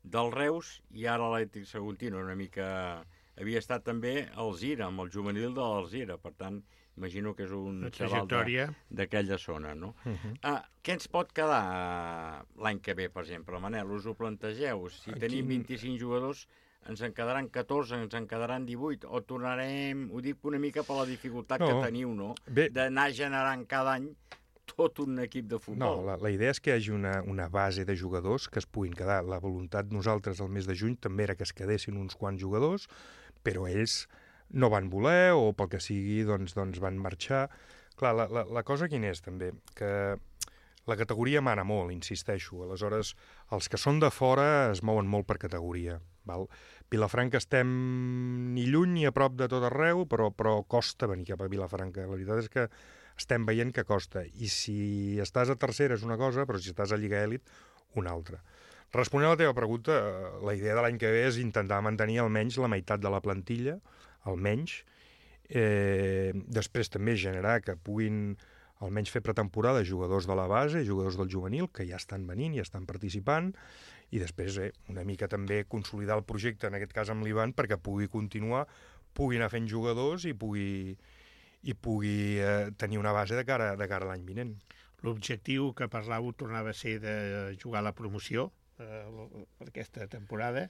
del Reus i ara l'Atlètic Saguntino, una mica... Havia estat també al Zira, amb el juvenil de l'Alzira, per tant, imagino que és un xaval d'aquella zona, no? Uh -huh. uh, què ens pot quedar uh, l'any que ve, per exemple, Manel? Us ho plantegeu? Si Aquí... tenim vint-i-cinc jugadors, ens en quedaran catorze, ens en quedaran divuit, o tornarem, ho dic una mica per la dificultat no. que teniu, no? D'anar generant cada any tot un equip de futbol. No, la, la idea és que hi hagi una, una base de jugadors que es puguin quedar. La voluntat nosaltres al mes de juny també era que es quedessin uns quants jugadors, però ells no van voler o pel que sigui doncs, doncs van marxar. Clar, la, la, la cosa quina és també? Que la categoria mana molt, insisteixo. Aleshores, els que són de fora es mouen molt per categoria. Val? Vilafranca estem ni lluny ni a prop de tot arreu, però, però costa venir cap a Vilafranca. La veritat és que estem veient que costa. I si estàs a tercera és una cosa, però si estàs a Lliga Èlit, una altra. Responent a la teva pregunta, la idea de l'any que ve és intentar mantenir almenys la meitat de la plantilla, almenys. Eh, després també generar que puguin almenys fer pretemporada jugadors de la base, jugadors del juvenil, que ja estan venint, ja estan participant, i després eh, una mica també consolidar el projecte, en aquest cas amb l'Ivan, perquè pugui continuar, pugui anar fent jugadors i pugui, i pugui eh, tenir una base de cara, de cara a l'any vinent. L'objectiu que parlàveu tornava a ser de jugar a la promoció eh, per aquesta temporada.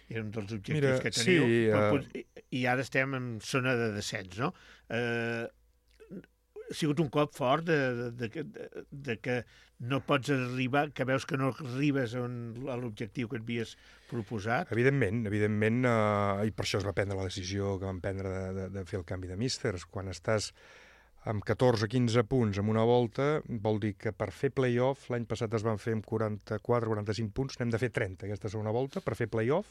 Era un dels objectius Mira, que teniu. Sí, uh... I ara estem en zona de descens, no? Eh, ha sigut un cop fort de, de, de, de, de que no pots arribar, que veus que no arribes a l'objectiu que et havies proposat? Evidentment, evidentment, eh, i per això es va prendre la decisió que vam prendre de, de, de fer el canvi de místers. Quan estàs amb catorze quinze punts en una volta, vol dir que per fer play-off, l'any passat es van fer amb quaranta-quatre quaranta-cinc punts, n'hem de fer trenta aquesta segona volta per fer play-off,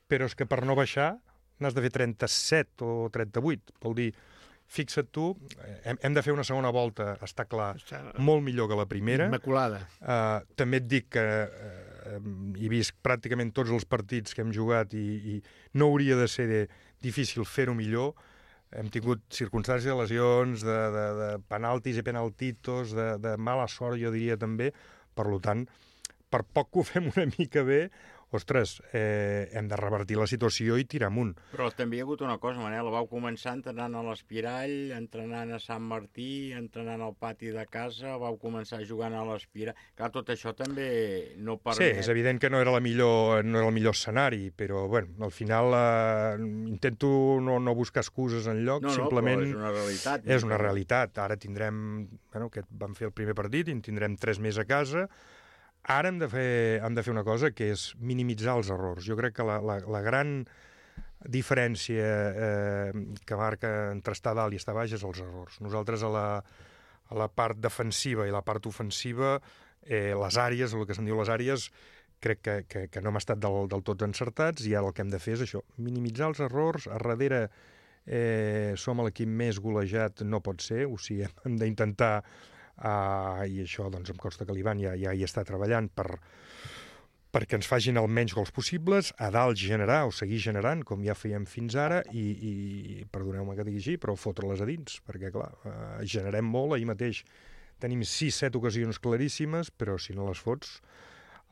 però és que per no baixar n'has de fer trenta-set o trenta-vuit, vol dir, fixa't tu, hem, hem de fer una segona volta, està clar, està molt millor que la primera. Immaculada. Uh, també et dic que uh, he vist pràcticament tots els partits que hem jugat i, i no hauria de ser de, difícil fer-ho millor. Hem tingut circumstàncies de lesions, de, de, de penaltis i penaltitos, de, de mala sort, jo diria també. Per tant, per poc que ho fem una mica bé, ostres, eh, hem de revertir la situació i tirar amunt. Però també hi ha hagut una cosa, Manel, vau començar entrenant a l'Espirall, entrenant a Sant Martí, entrenant al pati de casa, vau començar jugant a l'Espirall. Clar, tot això també no permet... Sí, és evident que no era, la millor, no era el millor escenari, però bueno, al final eh, intento no, no buscar excuses enlloc, no, no, simplement... és una realitat. És una realitat. Ara tindrem... Bueno, que vam fer el primer partit i en tindrem tres més a casa. Ara hem de, fer, hem de fer una cosa, que és minimitzar els errors. Jo crec que la, la, la gran diferència eh, que marca entre estar dalt i estar baix és els errors. Nosaltres a la, a la part defensiva i la part ofensiva, eh, les àrees, el que se'n diu les àrees, crec que, que, que no hem estat del, del tot encertats, i ara el que hem de fer és això, minimitzar els errors. A darrere eh, som l'equip més golejat, no pot ser, o sigui, hem d'intentar... Uh, i això doncs em consta que l'Ivan ja, ja hi està treballant per, perquè ens facin el menys gols possibles, a dalt generar o seguir generant com ja fèiem fins ara i, i perdoneu-me que digui així, però fotre-les a dins, perquè clar, uh, generem molt, ahir mateix tenim sis set ocasions claríssimes, però si no les fots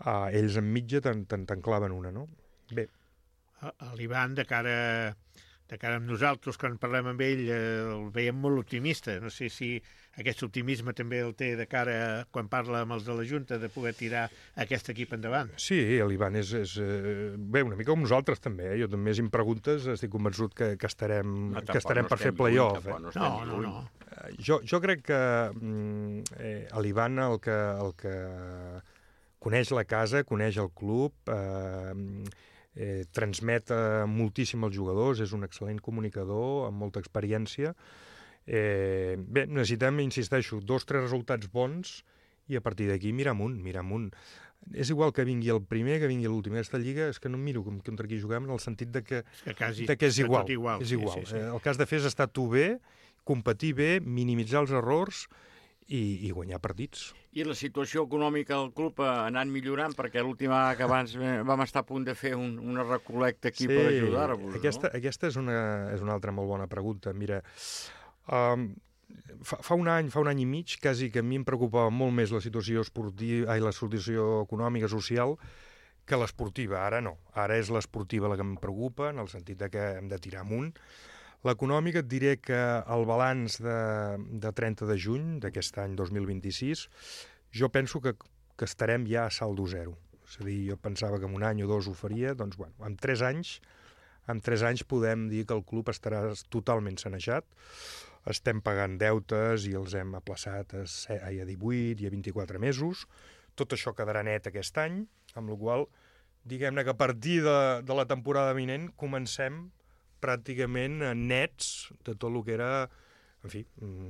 uh, ells en mitja te'n te, te claven una, no? Bé. L'Ivan, de cara de cara amb nosaltres, quan parlem amb ell, eh, el veiem molt optimista. No sé si aquest optimisme també el té de cara a, quan parla amb els de la Junta, de poder tirar aquest equip endavant. Sí, l'Ivan és, és eh, bé, una mica com nosaltres també, eh? Jo també, si em preguntes, estic convençut que, que estarem, no, que estarem no per fer play-off. Eh? No, no, no, no. Eh, jo, jo crec que eh, l'Ivan el que, el que coneix la casa, coneix el club, eh, Eh, transmet eh, moltíssim als jugadors, és un excel·lent comunicador amb molta experiència, Eh, bé, necessitem, insisteixo, dos o tres resultats bons i a partir d'aquí mirar amunt, mirar amunt. És igual que vingui el primer, que vingui l'últim. Aquesta lliga és que no em miro com contra qui juguem, en el sentit de que, és, que quasi, de que és igual. igual. És igual. Sí, sí, sí. El que has de fer és estar tu bé, competir bé, minimitzar els errors i, i guanyar partits. I la situació econòmica del club ha anat millorant, perquè l'última que abans vam estar a punt de fer un, una recolecta aquí sí, per ajudar-vos, aquesta, no? Aquesta és una, és una altra molt bona pregunta. Mira, um, fa, fa, un any, fa un any i mig, quasi que a mi em preocupava molt més la situació esportiva, ai, la situació econòmica, social, que l'esportiva. Ara no. Ara és l'esportiva la que em preocupa, en el sentit de que hem de tirar amunt. L'econòmica et diré que el balanç de, de trenta de juny d'aquest any dos mil vint-i-sis jo penso que, que estarem ja a saldo zero. És a dir, jo pensava que en un any o dos ho faria, doncs bueno, en tres anys, en tres anys podem dir que el club estarà totalment sanejat. Estem pagant deutes i els hem aplaçat a, a divuit i a vint-i-quatre mesos. Tot això quedarà net aquest any, amb la qual cosa, diguem-ne que a partir de, de la temporada vinent comencem pràcticament nets de tot el que era, en fi,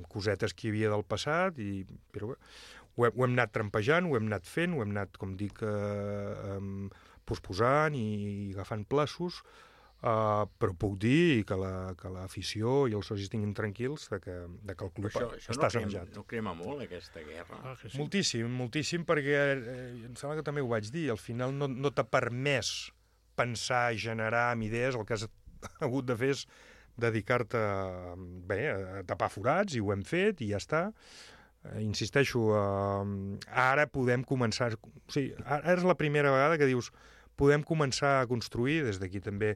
cosetes que hi havia del passat, i, però bé, ho, he, ho hem anat trampejant, ho hem anat fent, ho hem anat, com dic, eh, eh, posposant i agafant plaços, eh, però puc dir que l'afició la, i els socis tinguin tranquils de que, de que el club això, això està no sanejat. No crema molt, aquesta guerra? Ah, sí. Moltíssim, moltíssim, perquè eh, em sembla que també ho vaig dir, al final no, no t'ha permès pensar, generar amb idees, el que has hagut de fer és dedicar-te bé, a tapar forats, i ho hem fet, i ja està. Eh, insisteixo, eh, ara podem començar... O sigui, ara és la primera vegada que dius podem començar a construir, des d'aquí també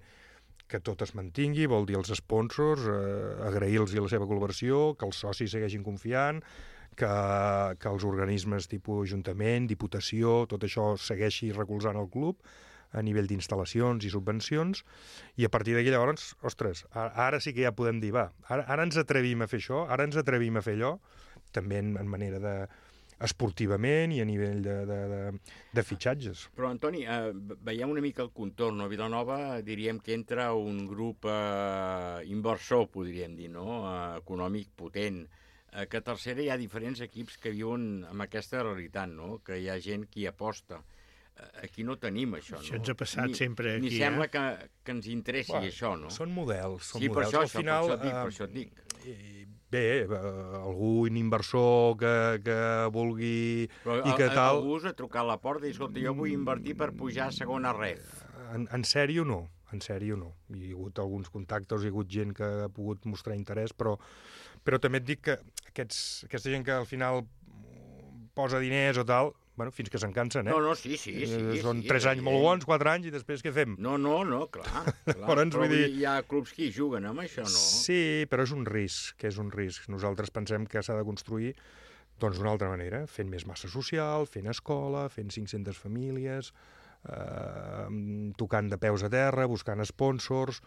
que tot es mantingui, vol dir els sponsors, eh, agrair-los la seva col·laboració, que els socis segueixin confiant, que, que els organismes tipus Ajuntament, Diputació, tot això segueixi recolzant el club, a nivell d'instal·lacions i subvencions, i a partir d'aquí llavors, ostres, ara sí que ja podem dir, va, ara, ara ens atrevim a fer això, ara ens atrevim a fer allò, també en, en manera de esportivament i a nivell de, de, de, de fitxatges. Però, Antoni, eh, veiem una mica el contorn. A Vilanova diríem que entra un grup eh, inversor, podríem dir, no? Eh, econòmic potent. Eh, que a tercera hi ha diferents equips que viuen amb aquesta realitat, no? Que hi ha gent que hi aposta. Aquí no tenim això, no? Això ens ha passat ni, sempre aquí, ni sembla eh? que, que ens interessi bueno, això, no? Són models, són sí, models. Per això, Al final, per això et dic, per això et dic. Bé, algú, un inversor que, que vulgui però i que a, tal... Algú us ha trucat a la porta i, escolta, jo vull invertir per pujar a segona ref. En, en sèrio no, en sèrio no. Hi ha hagut alguns contactes, hi ha hagut gent que ha pogut mostrar interès, però, però també et dic que aquests, aquesta gent que al final posa diners o tal... Bueno, fins que se'n cansen, eh? No, no, sí, sí. sí eh, són sí, tres sí, anys molt bons, quatre anys, i després què fem? No, no, no, clar. clar. Però ens però vull dir... hi ha clubs que hi juguen amb això, no? Sí, però és un risc, que és un risc. Nosaltres pensem que s'ha de construir doncs d'una altra manera, fent més massa social, fent escola, fent cinc-centes famílies, eh, tocant de peus a terra, buscant sponsors,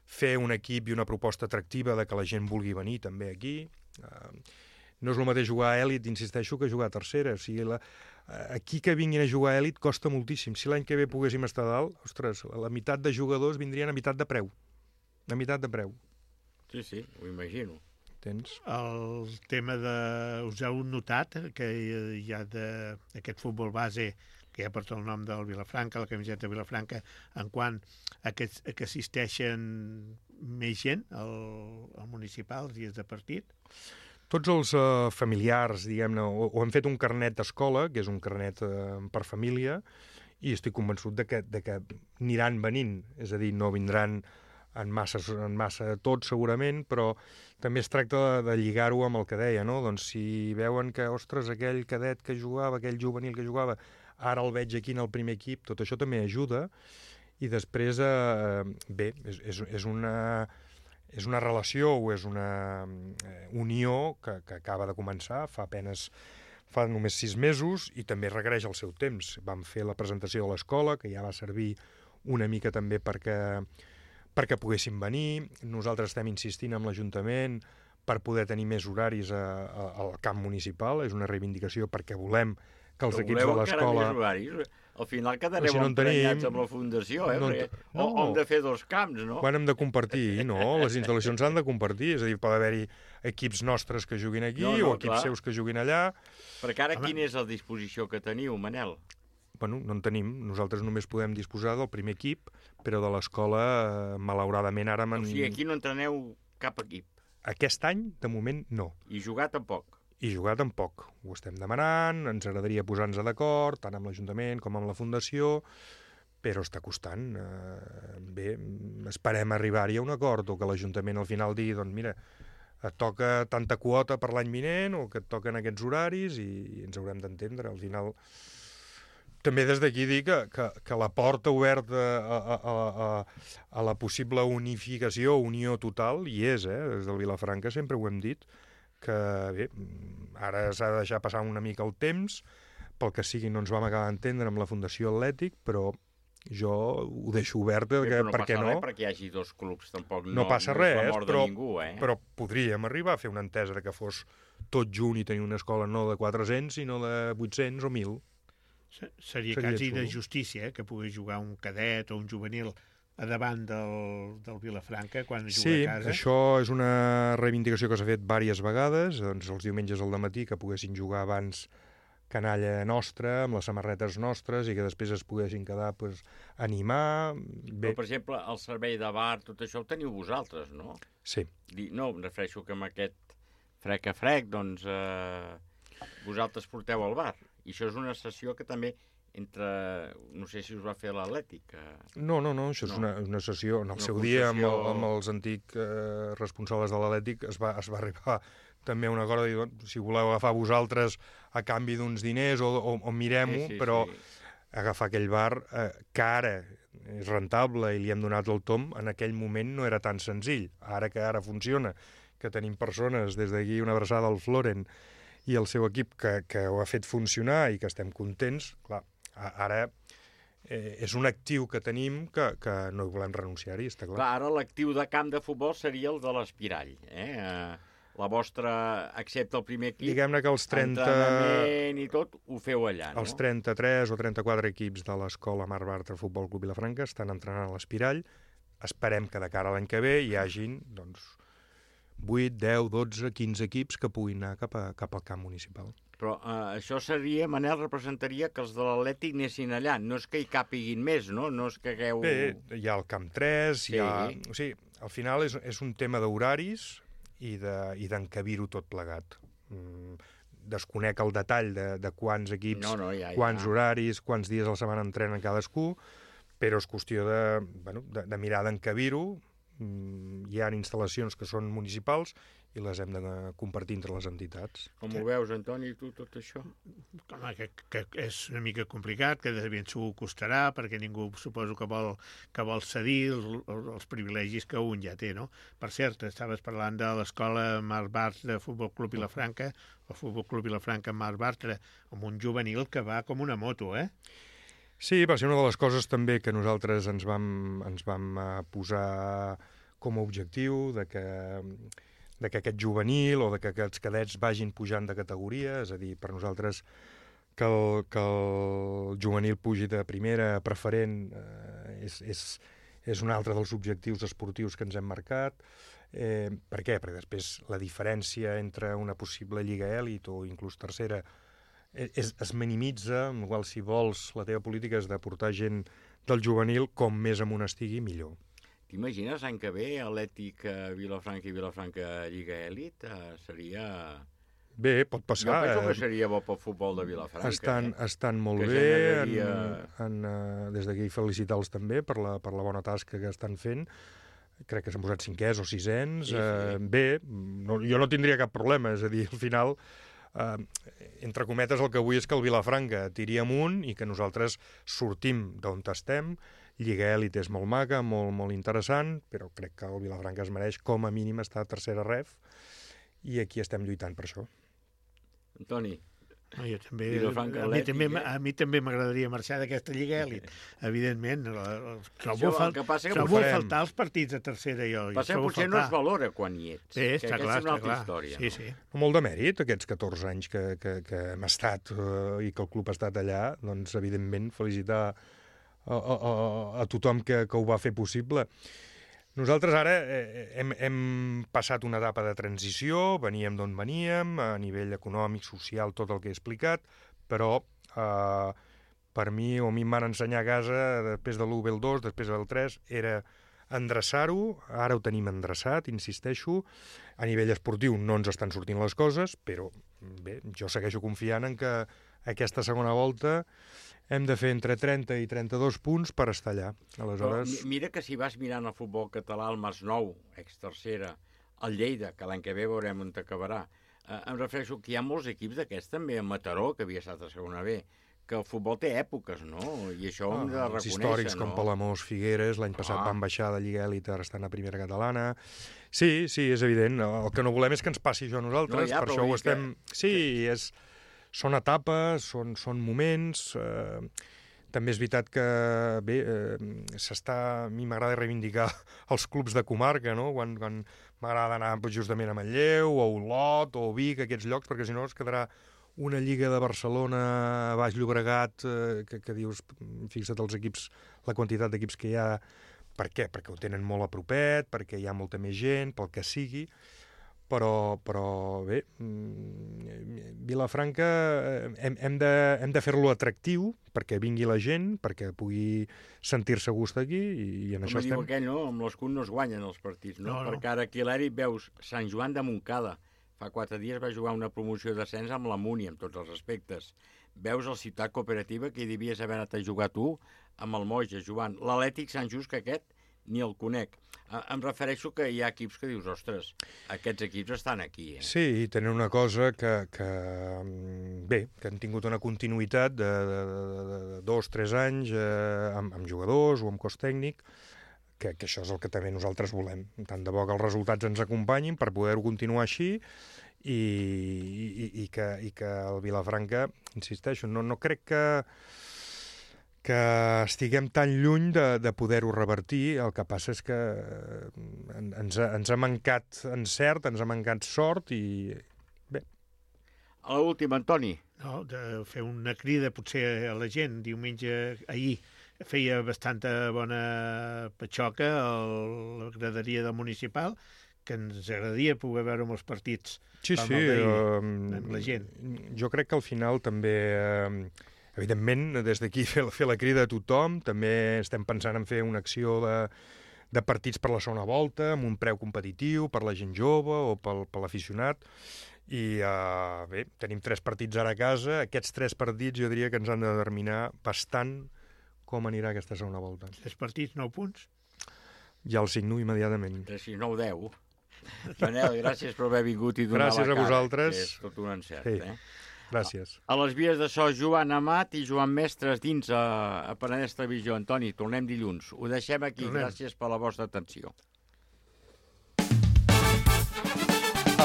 fer un equip i una proposta atractiva de que la gent vulgui venir també aquí. Eh, no és el mateix jugar a èlit, insisteixo, que jugar a tercera. O sigui, la, aquí que vinguin a jugar a èlit costa moltíssim. Si l'any que ve poguéssim estar a dalt, ostres, la meitat de jugadors vindrien a meitat de preu. A meitat de preu. Sí, sí, ho imagino. Tens? El tema de... Us heu notat que hi ha d'aquest futbol base que ja porta el nom del Vilafranca, la camiseta de Vilafranca, en quant a que, a que assisteixen més gent al, al municipal els dies de partit? Tots els uh, familiars, diguem-ne, o, o hem fet un carnet d'escola, que és un carnet uh, per família, i estic convençut de que, de que aniran venint, és a dir, no vindran en massa, en massa tots segurament, però també es tracta de, de lligar-ho amb el que deia, no? Doncs si veuen que, ostres, aquell cadet que jugava, aquell juvenil que jugava, ara el veig aquí en el primer equip, tot això també ajuda, i després, eh, bé, és, és, és una... És una relació o és una eh, unió que, que acaba de començar, fa apenes, fa només sis mesos, i també requereix el seu temps. Vam fer la presentació de l'escola, que ja va servir una mica també perquè, perquè poguéssim venir. Nosaltres estem insistint amb l'Ajuntament per poder tenir més horaris a, a, al camp municipal. És una reivindicació perquè volem que els Però equips de l'escola... Més horaris? Al final quedareu si no en emprenyats tenim, amb la fundació, eh? no en Perquè, te- o, o no. hem de fer dos camps, no? Quan hem de compartir, no? Les instal·lacions s'han de compartir, és a dir, pot haver-hi equips nostres que juguin aquí No, no, o equips clar. seus que juguin allà. Perquè ara quina és la disposició que teniu, Manel? Bueno, no en tenim. Nosaltres només podem disposar del primer equip, però de l'escola, eh, malauradament, ara... O sigui, aquí no entreneu cap equip. Aquest any, de moment, no. I jugar tampoc. I jugar tampoc. Ho estem demanant, ens agradaria posar-nos d'acord, tant amb l'Ajuntament com amb la Fundació, però està costant. Eh, bé, esperem arribar-hi a un acord, o que l'Ajuntament al final digui, doncs mira, et toca tanta quota per l'any vinent, o que et toquen aquests horaris, i, i ens haurem d'entendre. Al final, també des d'aquí dir que, que, que la porta oberta a, a, a, a, a la possible unificació, unió total, hi és, eh? Des del Vilafranca sempre ho hem dit, que bé, ara s'ha de deixar passar una mica el temps, pel que sigui no ens vam acabar d'entendre amb la Fundació Atlètic, però jo ho deixo obert, Bé, perquè, però no per què passa no? res perquè hi hagi dos clubs, tampoc no, No passa no és la res, mort però, de ningú, eh? però podríem arribar a fer una entesa de que fos tot junt i tenir una escola no de quatre-cents, sinó de vuit-cents o mil. Se- Seria, Seria quasi xulo. De justícia, eh, que pogués jugar un cadet o un juvenil a davant del, del Vilafranca quan juga Sí, a casa. això és una reivindicació que s'ha fet diverses vegades, doncs els diumenges al dematí que poguessin jugar abans canalla nostra, amb les samarretes nostres, i que després es poguessin quedar, pues, animar... Bé. Però, per exemple, el servei de bar, tot això ho teniu vosaltres, no? Sí. Di- No, em refereixo que amb aquest frec a frec, doncs, eh, vosaltres porteu al bar. I això és una sessió que també entre... No sé si us va fer l'Atlètic. Eh... No, no, no, això és No. una, una sessió... En el Una seu dia, amb, el, concessió- amb els antics eh, responsables de l'Atlètic, es va, es va arribar també a un acord de dir, doncs, si voleu agafar vosaltres a canvi d'uns diners o, o, o mirem-ho, Sí, sí, però sí. agafar aquell bar eh, que ara és rentable i li hem donat el tom, en aquell moment no era tan senzill. Ara que ara funciona, que tenim persones, des d'aquí una abraçada al Floren i el seu equip que, que ho ha fet funcionar i que estem contents, clar, a- ara eh, és un actiu que tenim que, que no hi volem renunciar-hi, està clar. Clar, ara l'actiu de camp de futbol seria el de l'Espirall. Eh? Eh, la vostra, excepte el primer equip, Diguem-ne que els trenta... entrenament i tot, ho feu allà, no? Els trenta-tres o trenta-quatre equips de l'escola Mar Bartra Futbol Club Vilafranca estan entrenant a l'Espirall. Esperem que de cara a l'any que ve hi hagin doncs, vuit, deu, dotze, quinze equips que puguin anar cap, a, cap al camp municipal. Però eh, això seria, Manel, representaria que els de l'Atlètic anessin allà. No és que hi càpiguin més, no? No és que hagueu... Bé, hi ha el camp tres, Sí. hi ha... O sigui, al final és, és un tema d'horaris i de- i d'encabir-ho tot plegat. Mm, desconec el detall de, de quants equips, No, no, ja, ja. quants horaris, quants dies a la setmana entrenen cadascú, però és qüestió de, bueno, de, de mirar d'encabir-ho. Mm, hi ha instal·lacions que són municipals i les hem de compartir entre les entitats. Com ho veus, Antoni, tu, tot això? Home, que, que és una mica complicat, que de ben segur costarà, perquè ningú suposo que vol, que vol cedir els, els privilegis que un ja té, no? Per cert, estaves parlant de l'escola Mar Bartra de Futbol Club Vilafranca, el Futbol Club Vilafranca Mar Bartra, amb un juvenil que va com una moto, eh? Sí, va ser una de les coses també que nosaltres ens vam, ens vam eh, posar com a objectiu, de que, de que aquest juvenil o de que aquests cadets vagin pujant de categoria, és a dir, per nosaltres que el, que el juvenil pugi de primera a preferent eh, és, és, és un altre dels objectius esportius que ens hem marcat. Eh, per què? Perquè després la diferència entre una possible lliga èlit o inclús tercera es, es minimitza, amb la qual si vols la teva política és de portar gent del juvenil com més amunt estigui, millor. T'imagines l'any que ve Atlètic eh, Vilafranca i Vilafranca Lliga Èlit? Eh, seria... Bé, pot passar. Jo penso que eh, seria bo pel futbol de Vilafranca. Estan, eh? estan molt Que bé, generaria- en, en, uh, des d'aquí felicitar-los també per la, per la bona tasca que estan fent. Crec que s'han posat cinquers o sisens. Sí, sí. Eh, bé, no, jo no tindria cap problema, és a dir, al final, eh, entre cometes, el que vull és que el Vilafranca tiri amunt i que nosaltres sortim d'on estem. Lliga Èlit és molt maca, molt, molt interessant, però crec que el Vilafranca es mereix com a mínim estar a tercera ref i aquí estem lluitant per això. Antoni, No, jo també, Vilafranca a mi Atlètic, també, eh? a mi també m'agradaria marxar d'aquesta Lliga Elit, evidentment. Trobo, Això, fal... el que passa que trobo ho farem. faltar els partits de tercera, jo. jo Passa que trobo potser faltar. no es valora quan hi ets. Sí, que està aquesta clar, és una està altra clar. història. Sí, no? sí. Molt de mèrit, aquests catorze anys que, que, que hem estat eh, i que el club ha estat allà, doncs, evidentment, felicitar a, a, a, a tothom que, que ho va fer possible. Nosaltres ara eh, hem, hem passat una etapa de transició, veníem d'on veníem, a nivell econòmic, social, tot el que he explicat, però eh, per mi, o a mi em van ensenyar a casa, després de l'u ve el dos, després del tres, era endreçar-ho, ara ho tenim endreçat, insisteixo, a nivell esportiu no ens estan sortint les coses, però bé, jo segueixo confiant en que aquesta segona volta hem de fer entre trenta i trenta-dos punts per estar allà. Aleshores... Però mira que si vas mirant el futbol català, el Masnou, ex-tercera, el Lleida, que l'any que ve veurem on acabarà, eh, em refereixo que hi ha molts equips d'aquests, també a Mataró, que havia estat a segona B, que el futbol té èpoques, no? I això ho hem de Ah, els reconèixer, històrics no? com Palamós, Figueres, l'any passat Ah. van baixar de Lliga Elit, ara estan a Primera Catalana. Sí, sí, és evident. El que no volem és que ens passi això a nosaltres, No, ja, per però això ho vull dir estem... que- Sí, és... són etapes, són, són moments... Eh... També és veritat que, bé, eh, s'està... A mi m'agrada reivindicar els clubs de comarca, no? Quan, quan m'agrada anar justament a Manlleu, o Olot, o Vic, aquests llocs, perquè si no es quedarà una lliga de Barcelona, Baix Llobregat, eh, que, que dius, fixa't els equips, la quantitat d'equips que hi ha. Per què? Perquè ho tenen molt a propet, perquè hi ha molta més gent, pel que sigui. Però, però bé, Vilafranca hem, hem de, hem de fer-lo atractiu perquè vingui la gent, perquè pugui sentir-se a gust aquí, i, i en Com això diu estem. aquell, no? Amb l'escut no es guanyen els partits, no? No, no. Perquè ara aquí a l'Eri veus Sant Joan de Montcada. Fa quatre dies va jugar una promoció d'ascens amb la Múnia, amb tots els respectes. Veus el Ciutat Cooperativa, que hi devies haver anat a jugar tu, amb el Moja, jugant. L'Atlètic Sant Just, que aquest ni el conec. Em refereixo que hi ha equips que dius, ostres, aquests equips estan aquí. Eh? Sí, i tenen una cosa que, que, bé, que han tingut una continuïtat de, de, de, de dos, tres anys eh, amb, amb jugadors o amb cos tècnic, que, que això és el que també nosaltres volem. Tant de bo que els resultats ens acompanyin per poder-ho continuar així i, i, i, que, i que el Vilafranca, insisteixo, no, no crec que que estiguem tan lluny de, de poder-ho revertir. El que passa és que ens ha, ens ha mancat encert, ens ha mancat sort i bé. A l'última, Antoni. No, de fer una crida potser a la gent. Diumenge, ahir, feia bastanta bona patxoca a la graderia del municipal, que ens agradaria poder veure molts partits Sí, com sí, el d'ahir, uh, amb la gent. Jo crec que al final també... Uh, Evidentment, des d'aquí fer, fer la crida a tothom, també estem pensant en fer una acció de, de partits per la segona volta, amb un preu competitiu per la gent jove o pel, per l'aficionat. I uh, bé, tenim tres partits ara a casa. Aquests tres partits jo diria que ens han de determinar bastant com anirà aquesta segona volta. Tres partits, nou punts? Ja el signo immediatament. tres, sis, nou, deu. Manel, gràcies per haver vingut i donar gràcies la cara. Gràcies a vosaltres. És tot un encert, sí. eh? Gràcies. A les vies de so, Joan Amat i Joan Mestres dins a, a Penedès Televisió. Antoni, tornem dilluns. Ho deixem aquí. Tornem. Gràcies per la vostra atenció.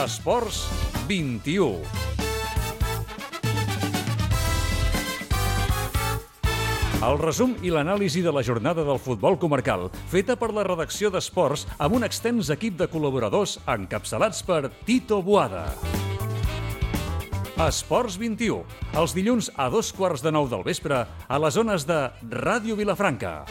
Esports vint-i-u. El resum i l'anàlisi de la jornada del futbol comarcal, feta per la redacció d'Esports amb un extens equip de col·laboradors encapçalats per Tito Boada. Esports vint-i-u, els dilluns a dos quarts de nou del vespre a les zones de Ràdio Vilafranca.